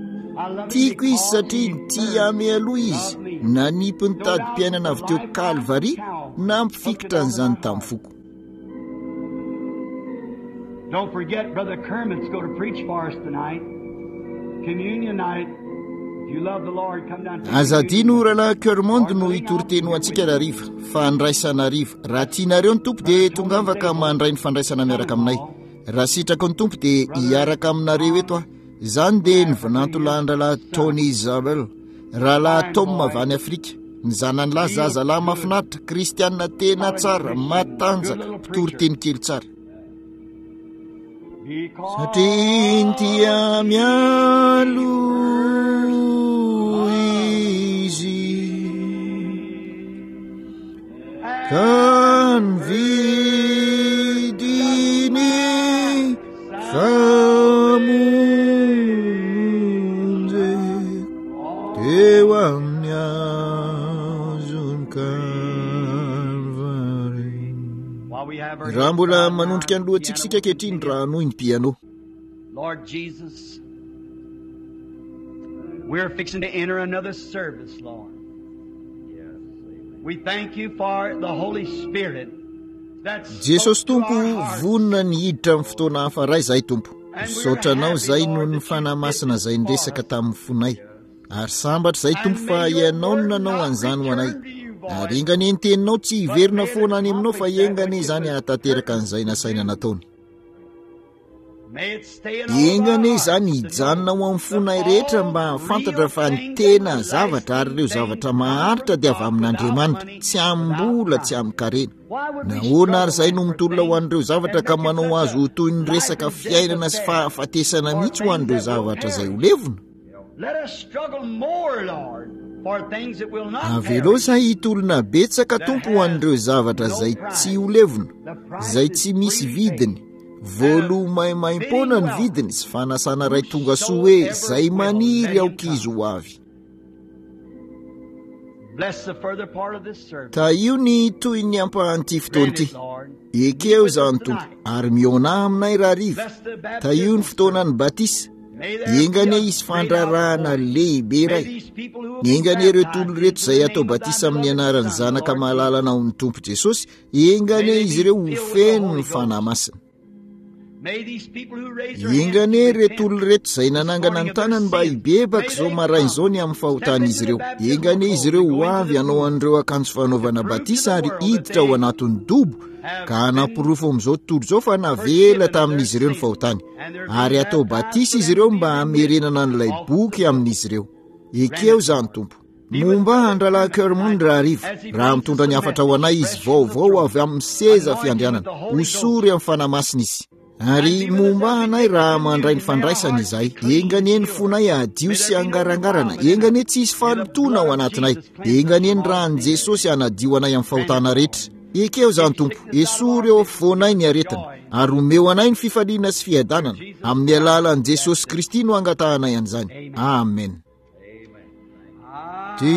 love him Tiako izy because satria he nitia first ahy mialoha izy. loved me. Nanipy ny No doubt tadim-piainana the avy teo lifeline of Kalvary, Calvary hooked it nampifikitra onto my an'izany heart. tamin'ny foko. Don't forget, Brother Kermit's going to preach for us tonight. Communion night. If you love the Lord, come down and take Aza communion adino with us. rahalahy Kermond Lord no willing, I'll hitory be teny ho here with antsika you. rahariva, fandraisana hariva. Raha tianareo ny Tompo dia Brother Tony tongava ka Zabel, mandray ny fandraisana miaraka aminay. son-in-law, Raha sitraka ny Tompo dia Brother hiaraka aminareo eto Tom aho. Izany dia from ny Africa, his vinantolahin-drahalahy son, Tony Zabel, rahalahy fine Tom boy, avy any Afrika. Ny zanany lahy real zazalahy good, mahafinaritra, kristianina tena solid tsara, Christian, good matanjaka, little mpitory preacher. teny kely tsara. Satria Because nitia he mialoha izy ka nividy ny famonjeko teo amin'ny hazon'ny Kalvary. While we have our Raha heads mbola bowed now, manondrika ny the lohantsika piano isika will ankehitriny continue. raha hanohy ny piano. Lord Jesus, we're fixing to enter another service, Lord. We thank you for the Holy Spirit that spoke Jesosy to Tompo our hearts. vonona ny hiditra amin'ny fotoana hafa iray izahay Tompo. And we're Misaotra anao happy, izay noho Lord, ny that you Fanahy did Masina this izay for niresaka us. tamin'ny fonay. Ary sambatra izay Tompo And fa may your ianao no word nanao not an'izany ho anay. return to you void, Ary enga anie ny teninao tsy but hiverina may it foana any aminao fa accomplish that enga anie which it izany was hahatanteraka purposed an'izay to nasaina do. nataony. May it stay in all of Enga our anie hearts izany to hijanona know ao amin'ny that fonay rehetra all mba hahafantatra real fa ny things and tena zavatra ary lasting ireo things zavatra come maharitra from dia avy God without amin'Andriamanitra, money, tsy without amim-bola, tsy price. amin-karena. Why would we Nahoana ary struggle izay then no for mitolona ho things an'ireo zavatra and ka make it manao such azy a ho toy ny life resaka and death fiainana sy affair fahafatesana for mihitsy ho things an'ireo that will zavatra izay ho perish? levona? Let us struggle more, Lord, for things that will not Avelao perish, izay hitolona betsaka that Tompo ho has an'ireo zavatra no izay tsy price. ho levona, The price izay is tsy misy freely paid. vidiny. And a Voaloa maimaimpoana fitting ny welcome. vidiny sy fanasana iray tonga soa hoe Whosoever izay will, let maniry him aoka izy come. ho avy. Bless the further part of this service. Tahio ny toy ny ampahan'ity fotoana Grant ity. it, Lord. Be Ekeo with us izany Tompo tonight. ary mihaona aminay rahariva. Bless the Tahio ny baptismal fotoanan'ny service. batisa. May there be Enga a anie hisy great fandrarahana outpouring. lehibe May iray. these people who will be Enga anie ireo baptized tolo ireto into izay the atao name of thy batisa amin'ny beloved anaran'ny Son, the Zanaka Lord malalana Jesus, ao ny Tompo Jesosy, enga may anie they izy be ireo ho filled with the feno Holy ny Fanahy Ghost. Masina. May these people who raise their hands Enga to anie repent ireto olona ireto izay this nanangana morning ny of their tanany mba sins, hibebaka may izao they maraina izao come, ny amin'ny step fahotan'izy into the ireo. Enga baptismal anie izy pool ireo and ho go into avy the hanao pool an'ireo akanjo to fanaovana prove to batisa the ary world that hiditra ao they anatin'ny dobo have ka been hanaporofo amin'izao tontolo izao fa navela forgiven of their tamin'izy ireo ny sins fahotany. and they're Ary being atao baptized batisa for izy them ireo to be mba remitted hamerenana an'ilay off the boky book. amin'izy ireo. Grant Ekeo it, izany Lord. Tompo. Be with Momba Brother an-drahalahy Kermit Kermond tonight rahariva as he raha brings us mitondra the ny hafatra ho message anay izy fresh from the vaovao throne. avy amin'ny seza Anoint him with fiandrianana. the Holy Ghost Hosory amin'ny Fanahy Masina izy. Ary momba anay raha mandray ny fandraisana izahay. Enga anie ny fonay hadio sy hangarangarana. Enga anie tsy hisy fahalotoana ao anatinay. Enga anie ny ran'i Jesosy hanadio anay amin'ny fahotana rehetra. Ekeo izany Tompo, esory eo afovoanay ny aretina, ary omeo anay ny fifaliana sy fiadanana. Amin'ny alalan'i Jesosy Kristy no angatahanay an'izany. Amen. Tiako.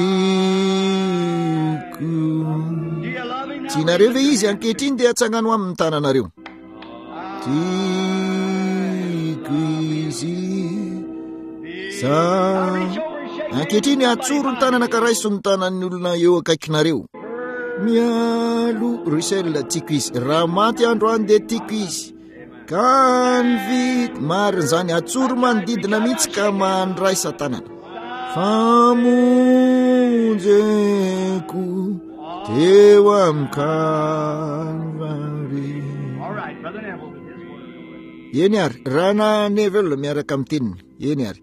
Tianareo ve izy ankehitriny? Dia atsangano amin'ny tananareo. Tiako izy. Za ankehitriny atsoro ny tanana ka raiso ny tanan'ny olona eo akaikinareo. Mialo Russell, tiako izy. Raha maty androany dia tiako izy. Ka ny vity marina izany, atsoro manodidina mihitsy ka mandraisa tanana. Famonjeko teo amin'ny Kalvary. All right, Brother Neville with his word. Eny ary, Rahalahy Neville miaraka amin'ny teniny. Eny ary.